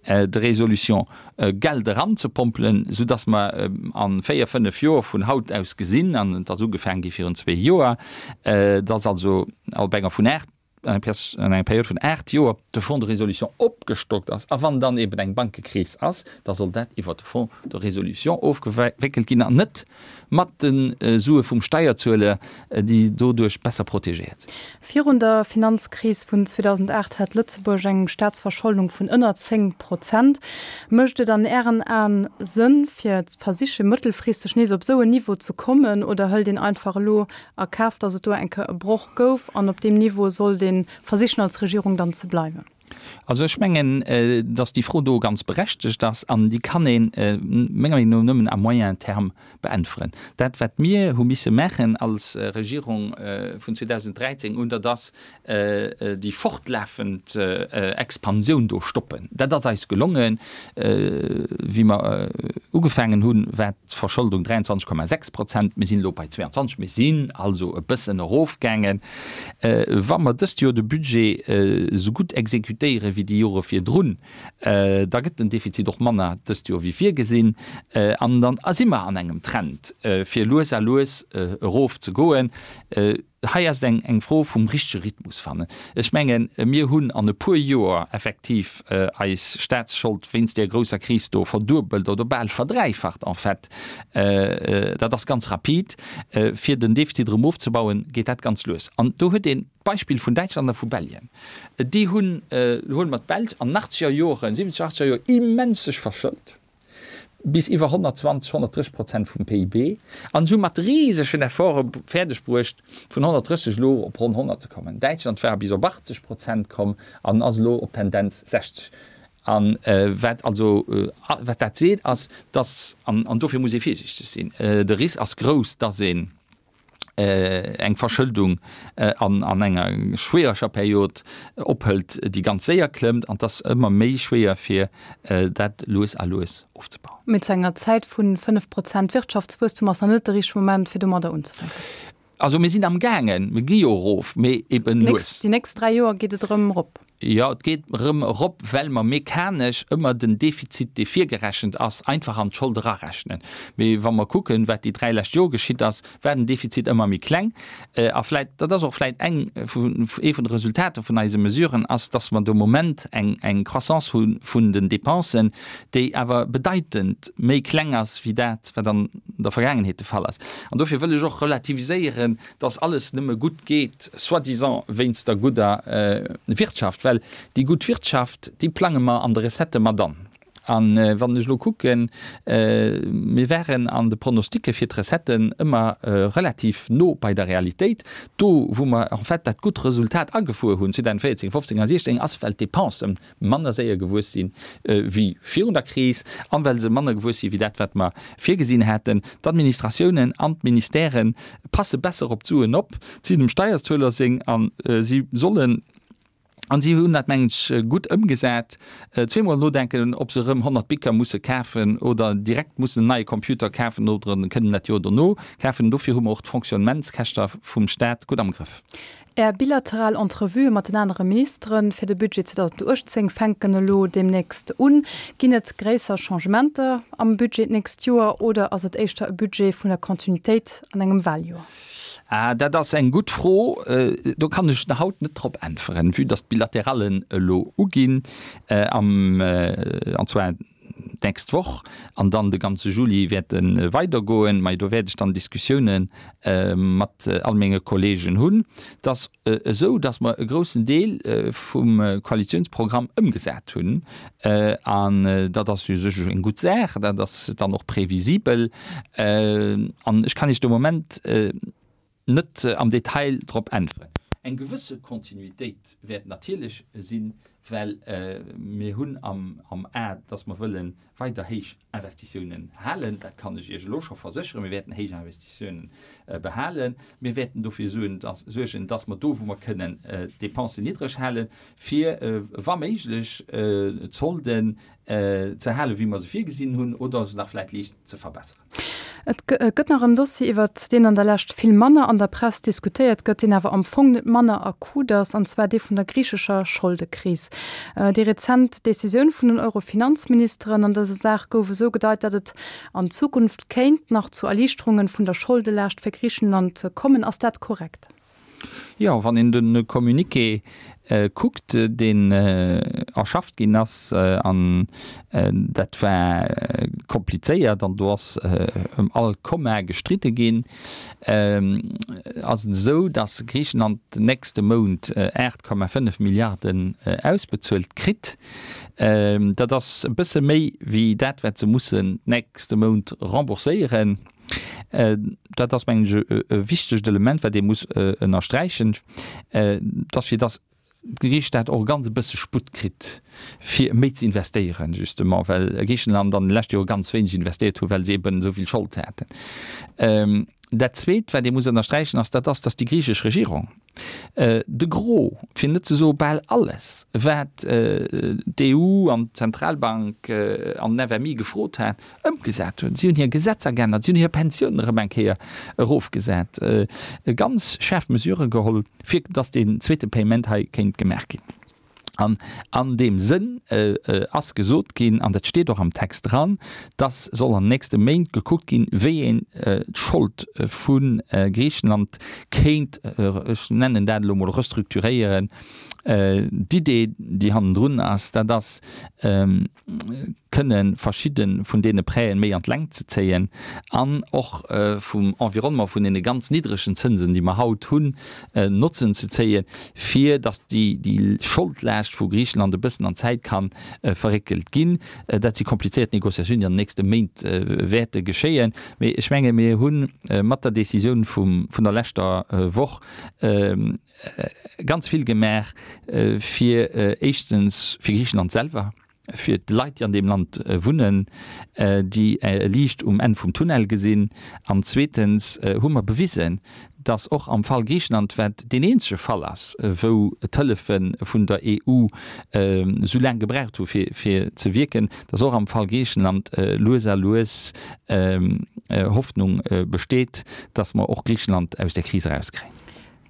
de résolution Geld eranzepompelen, soudass mer a véier, fënnef Joer vun haut aus gesinn, an et ass ugefaangen gi virun zwee Joer, dass also op enger vun aacht, an enger Period vun aacht Joer de Fonds de résolution opgestockt ass, a wann dann eben eng Bankekris ass, da soll dat iwwert de Fonds de résolution ofgewéckelt ginn an net mat de Sue vum Steierzueler, déi doduerch besser protegéiert sinn. Virun der Finanzkris vun zweedausendacht hat Lëtzebuerg eng Staatsverscholdung vun ënner zéng Prozent. Mécht et an Ären Aen Sënn, fir ze versiche mëttelfristeg nees op esou en Niveau ze kommen, oder hëlt een einfach elo a Kaf, datt et do eng Kéier e Broch gouf an op deem Niveau sollt ee versichen als Regierung dann ze bleiwen? Also ech mengen, datt déi Fro do ganz berechtegt ass an déi kann ee menger Meenung no nëmmen à moyen terme beäntweren. Dat wat mir hu misse maachen als Regierung vun zweedausenddräizéng un, dat ass déi fortlafend Expansioun do stoppen. Dat ass eis gelongen. Wéi mer ugefaangen hunn, war d'Verscholdung dräianzwanzeg Komma sechs Prozent, mir sinn elo bei zweeanzwanzeg, mir sinn also e bëssen erofgaangen. Wa mer dëst Joer de Budget esou gutt exekutéiere wéi déi Jore virdrun, da gëtt den Defizit och manner dëst Joer wéi virgesinn an dann si mer an engem Trend, fir lues a lues erof ze goen. Hei ass et eng eng Fro vum richtege Rhythmus fannen. Ech mengen, mir hunn an e puer Joer effektiv eis Staatsschold wéinst där grousser Kris do verduebelt oder bal verdräifacht en fait. Dat ass ganz rapid. Fir den Defizit erëm ofzebauen, geet dat ganz lues. An do huet een d'Beispill vun Däitschland a vu Belgien. Déi hunn, huele mer d'Belsch, an achtzeger Joren, siwwenzeger, achtzeger Joer immens sech verschëlt, bis iwwer honnertzwanzeg, honnertdrësseg Prozent vum P I B, an se hu mat risegen Efforte fäerdeg bruecht, vun honnertdrësseg elo op ronn honnert ze kommen. Däitschland war bis op achtzeg Prozent komm an ass elo op Tendenz sechzeg. A wat also, wat dat seet, ass, dass, an dofir muss ee virsiichteg sinn, de Risk ass grouss, dass een eng Verschëldung an enger schwiereger Period ophëlt, déi ganz séier klëmmt, an et ass ëmmer méi schwéier fir dat lues a lues ofzebauen. Mee zu enger Zäit vu fënnef Prozent Wirtschaftswuesstum ass nach net de richtege Moment fir domadder unzefänken. Also mir sinn am gaangen, mir gi jo erof, mee eben lues. Déi nächst dräi Joer geet et erëm erop. Jo, et geet erëm erop, well mer mechanesch ëmmer den Defizit, dee virgerechent ass, einfach an d'Schold erarechnen. Mee wa mer kucken, wat déi dräi lescht Jore geschitt ass, war den Defizit ëmmer méi kleng. A vläit, dat ass och vläit eng vun, ee vun de Resultater vun eise Mesuren, ass, dass mer de Moment eng, eng Croissance hu vun den Dépensen, déi awer bedeitend méi kleng ass wéi dat, wat an der Vergaangenheet de Fall ass. An dofir wëll ech och relativiséieren, dass alles nëmme gutt geet, soi-disant wéinst der gudder Wirtschaft, well déi gutt Wirtschaft, déi plange mer an de Recettë mat an. A wann ech elo kucken, mir waren an de Pronosticke fir d'Recetten ëmmer relativ no bei der Realitéit. Do, wou mer en fait dat gutt Resultat agefuer hunn, zweedausendvéierzéng, fofzéng a siechzéng, ass, well d'Dépensen manner séier gewuess si wéi virun der Kris an well se manner gewuess si wéi dat, wat mer virgesinn haten. D'Administratiounen an d'Ministèrë passe besser op d'Suen op, et sinn dem Steierzueler seng a si sollen, an si hunn dat, mengen ech, gutt ëmgesat, zweemol nodenken, ob se erëm honnert Bicker musse kafen oder direkt mussen en neie Computer kafen oder kënnen dat Joer dono kafen. Dofir hu mer och d'Fonctionnementskäschter vum Stat gutt am Grëff. Är bilateral Entrevuë mat den anere Ministere fir de Budget zweedausenduechtzéng fänken elo deemnächst un. Ginn et gréisser Changementer am Budget d'nächst Joer oder ass et éischter e Budget vun der Kontinuitéit an engem Waljoer? Ah, dat ass eng gutt Fro. Do kann ech haut net drop äntweren, vue dass d'Bilaterallen elo uginn am, an zwar d'nächst Woch an dann de ganze Juli wäerte weidergoen. Mä do wäert ech dann Diskussioune mat all menge Kolleegen hunn. Et ass esou, datt mer e groussen Deel vum Koalitiounsprogramm ëmgesat hunn. An dat ass u sech eng gutt Saach. Dat ass dann och previsibel. An ech kann Iech de Moment net am Detail drop äntweren. Eng gewësse Kontinuitéit wäert natierlech sinn, well mir hunn am A, dass mer wëlle weider héich Investitiounen halen, dat kann ech Iech elo scho versécheren, mir wäerten héich Investitiounen behalen, mir wäerten dofir suergen, dass mer do wou mer kënnen d'Dépensen niddreg halen, fir wa méiglech d'Solden ze halen, wéi mer se virgesinn hunn, oder se nach vläicht liicht ze verbesseren. Et gëtt nach en Dossier, iwwert deen an der Lescht vill manner an der Press diskutéiert gëtt, deen awer am Fong net manner akut ass, an zwar dee vun der griichescher Scholdekris. Déi rezent Decisioun vun den Euro-Finanzministeren an dëser Saach gouf esou gedeit, datt et an Zukunft kéint nach zu Erliichterunge vun der Scholdelaascht fir Griichenland kommen. Ass dat korrekt? Jo, wann een de Communiqué kuckt, deen erschafft ginn ass, an dat war komplizéiert an do ass ëm all Komma gestridde ginn, ass et esou, datt Griichenland den nächste Mount aacht Komma fënnef Milliarden ausbezuelt kritt. Dat ass e bësse méi wéi dat, wat se mussen nächste Mount rembourséieren. Dat ass, mengen ech, e wichtegt Element, wat ee muss ënnersträichen, dass fir dass Griicheland och e ganz e bësse Sputt kritt, fir méi ze investéieren, justement, well Griichenland an de leschte Jore ganz wéineg investéiert hu well se eben esou vill Schold haten. Dat Zweet, wat ee muss ënnersträichen, ass, dat ass, dass déi griichesch Regierung de Gros, fir net ze soe bal alles, wat d'EU an d'Zentralbank an den FMI gefrot hat, ëmgesat hunn. Si hunn hir Gesetzer geännert, si hunn hir Pensiounen erëm eng Kéier erofgesat, ganz schaarf Mesurë geholl, fir dass deen zweete Payement hei kéint gemaach ginn. An an deem Sënn ass gesot ginn, an dat steet och am Text dran, dass soll an den nächste Méint gekuckt ginn, wéi een d'Schold vu Griichenland kéint, ech nennen dat elo emol, restrukturéieren. D'Idee, déi hannendrun ass, dat ass, kënne verschidde vun deene Prêten méi an d'Längt ze zéien an och vum Environnement vun deene ganz niddregen Zënsen, déi mer haut hunn, Notzen ze zéien, fir datt déi Scholdlaascht vu Griichenland e bëssen an d'Zäit ka verréckelt ginn. Dat si komplizéiert Négociatiounen, déi an den nächste Méint wäerte geschéien. Mee ech menge mir hu mat der Décisioun vun der leschter Woch ganz vill gemaach, fir éischtens fir Griichenland selwer, fir d'Leit, déi an deem Land wunnen, déi e Liicht um Enn vum Tunnel gesinn, an zweetens hu mer bewisen, dass och am Fall Griichenland, wat deen eenzege Fall ass, wou d'Hëllefe vun der EU esou laang gebraucht hu fir ze wierken, dass och am Fall Griichenland lues a lues Hoffnung besteet, dass mer och Griichenland aus där Kris erauskréien.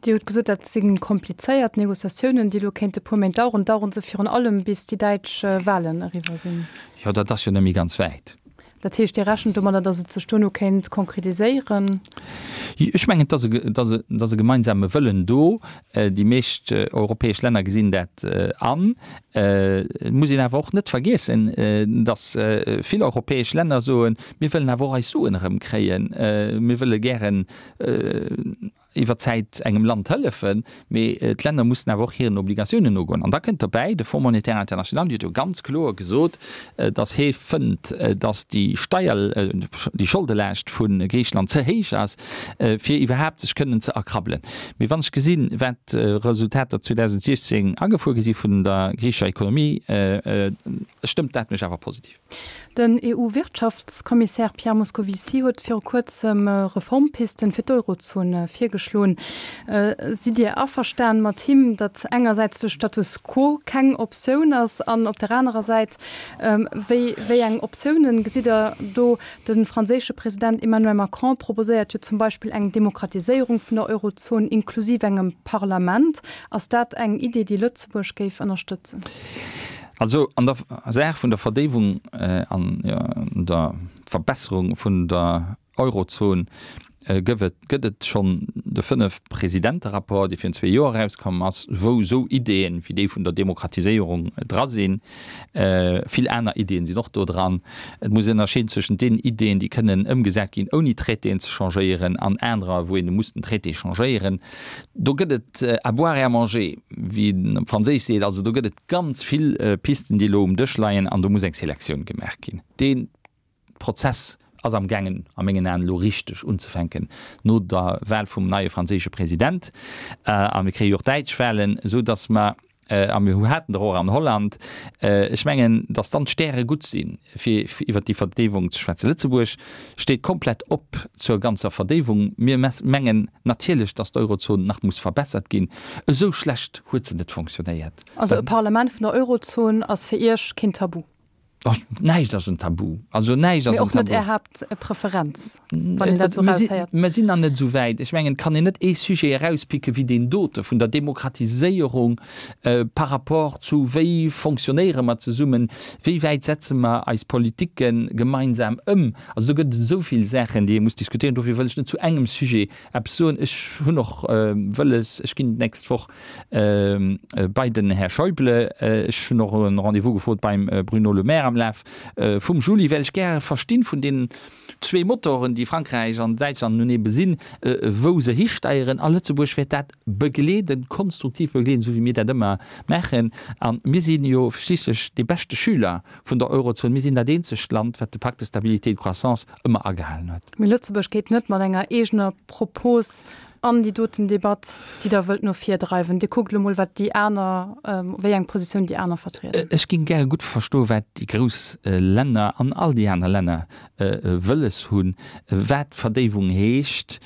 Dir hutt gesot, dat si komplizéiert Negociatiounen, déi elo kéinte puer Méint daueren. Dauere se virun allem, bis déi däitsch Wahlen eriwwer sinn? Jo, dat ass jo net méi ganz wäit. Dat heescht, Dir rechent domadder, datt et sech duerno kéint konkretiséieren? Ech mengen, et ass e gemeinsame Wëllen do. Déi meescht europäesch Länner gesinn dat an. Et muss een awer och net vergiessen, datt vill europäesch Länner soen, Mir wëllen awer och eis Suen erëmkréien. Mir wëlle gären iwwer d'Zäit engem Land hëllefen, mee d'Länner mussen awer och hiren Obligatiounen nogoen. An da kënnt derbäi, de Fonds monétaire international huet jo ganz kloer gesot, datt hee fënnt, datt déi Steier, déi Scholdelaascht vu Griicheland ze héich ass, fir iwwerhaapt sech kënnen ze erkrabbelen. Mee wann ech gesinn, wat Resultater zweedausentsiechzéng agefuer gi si vun der griichescher Ekonomie, stëmmt dat mech awer positiv. Den EU-Wirtschaftskommissär Pierre Moscovici huet viru kuerzem Reformpisten fir d'Eurozon virgeschloen. Sidd Dir averstan mat him, datt engersäits de Status quo keng Optioun ass an op der anerer Säit, wéi wéi eng Optiounen gesitt Der do? De franséische President Emmanuel Macron proposéiert jo zum Beispill eng Demokratiséierung vun der Eurozon inklusiv engem Parlament. Ass dat eng Idee, déi Lëtzebuerg géif ënnerstëtzen? Also an der Saach vun der Verdéiwung an der Verbesserung vun der Eurozon gëff et, gëtt et schonn de Fënnef-Presidente-Rapport, dee virun zwee Joer erauskomm ass, wou esou Ideeën wéi déi vun der Demokratiséierung dra sinn. Vill aner Ideeën sinn och do dran. Et muss een ënnerscheeden zwëschent deenen Ideeën, déi kënnen ëmgesat ginn, ouni Traitéen ze changéieren, an anerer, wou een muss den Traité changéieren. Do gëtt et à boire et à manger, wéi een op Franséisch seet. Also do gëtt et ganz vill Pisten, déi elo um Dësch leien, an do muss eng Selektioun gemaach ginn. Dee Prozess ass am gaangen, a mengen Aen elo richteg unzefänken, no der Wahl vum neie franséische President. A mir kréie jo och däitsch Wahlen, esou datt mer a mir haten der och an Holland, ech mengen, datt dann d'Stäre gutt sinn, fir iwwert déi Verdéiwung ze schwätzen. Lëtzebuerg steet komplett op zur ganzer Verdéiwung. Mir mengen natierlech, datt d'Eurozon nach muss verbessert ginn. Esou schlecht huet se net fonctionnéiert. Also e Parlament vun der Eurozon ass fir Iech keen Tabu? Näischt ass en Tabu. Also näischt ass en Tabu. Mee och net Är Haaptpreferenz, wann een dat esou eraushéiert. Mer sinn nach net esou wäit. Ech mengen, et kann een net ee Sujet erauspicke wéi deen dote vun der Demokratiséierung par rapport zu wéi fonctionnéiere mer zesummen, wéi wäit setze mer eis Politike gemeinsam ëm. Also do gëtt et esou vill Saachen, déi ee muss diskutéieren. Dofir wëll ech net zu engem Sujet eppes soen. Ech hunn och wëlles, ech ginn d'nächst Woch bei den Här Schäuble, ech hunn och e Rendez-vous gefrot beim Bruno Le Maire am Laf vum Juli, well ech gäre verstinn vun deenen zwee Motoren, déi Frankräich an Däitschland nun ebe sinn, wou se histeieren. A Lëtzebuerg wäert dat begleeden, konstruktiv begleeden, esou wéi mir dat ëmmer maachen. A mir si jo schliisslech dee beschte Schüler vun der Eurozon. Mir sinn dat eenzegt Land, wat de Pacte de stabilité et de croissance ëmmer agehalen huet. Mee Lëtzebuerg geet net mat enger eegener Propos an déi doten Debatt, déi Der wëllt no vir dreiwen. Dir kuckt elo mol, wat déi aner, wéi eng Positioun déi aner vertrieden. Ech géing gäre gutt verstoen, wat déi grouss Länner an all déi aner Länner wëlles hunn, wat Verdéiwung heescht,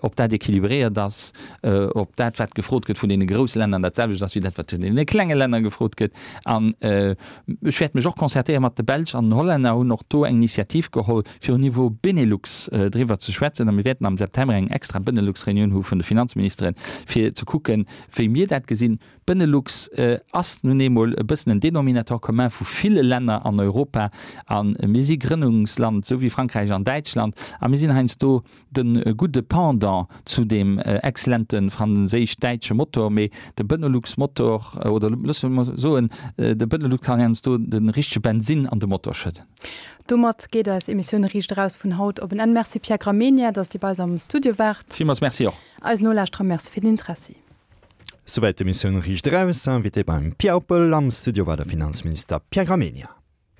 ob dat équilibréiert ass, ob dat, wat gefrot gëtt vun deene grousse Länner, dat selwecht ass wéi dat, wat vun deene klenge Länner gefrot gëtt. An ech wäert mech och concertéiere mat de Belsch an den Hollänner, hunn och do eng Initiativ geholl, fir au niveau Benelux driwwer ze schwätzen. A mir wäerten am September eng extra Benelux-Reunioun hu vun de Finanzministeren, fir ze kucken, wéi mir dat gesinn. Benelux ass nun eemol e bëssen en Dénominateur commun vu ville Länner an Europa. A mir si Grënnungsland, esou wéi Frankräich an Däitschland. A mir sinn heiansdo de gudde Pendant zu deem exzellente franséisch-däitsche Motor. Mee de Benelux-Motor, oder loosse mer soen, de Benelux kann heiansdo de richtege Bensinn an de Motor schëdden. Domat geet eis Emissioun Riicht Eraus vun haut op en Enn. Merci Pierre Gramegna, dass Dir bei eis am Studio waart. Villmools Merci och. Eisen Nolauschterer Merci fir den Interessi. Souwäit d'Emissioun Riicht Eraus. Invité beim Pia Oppel am Studio war de Finanzminister Pierre Gramegna.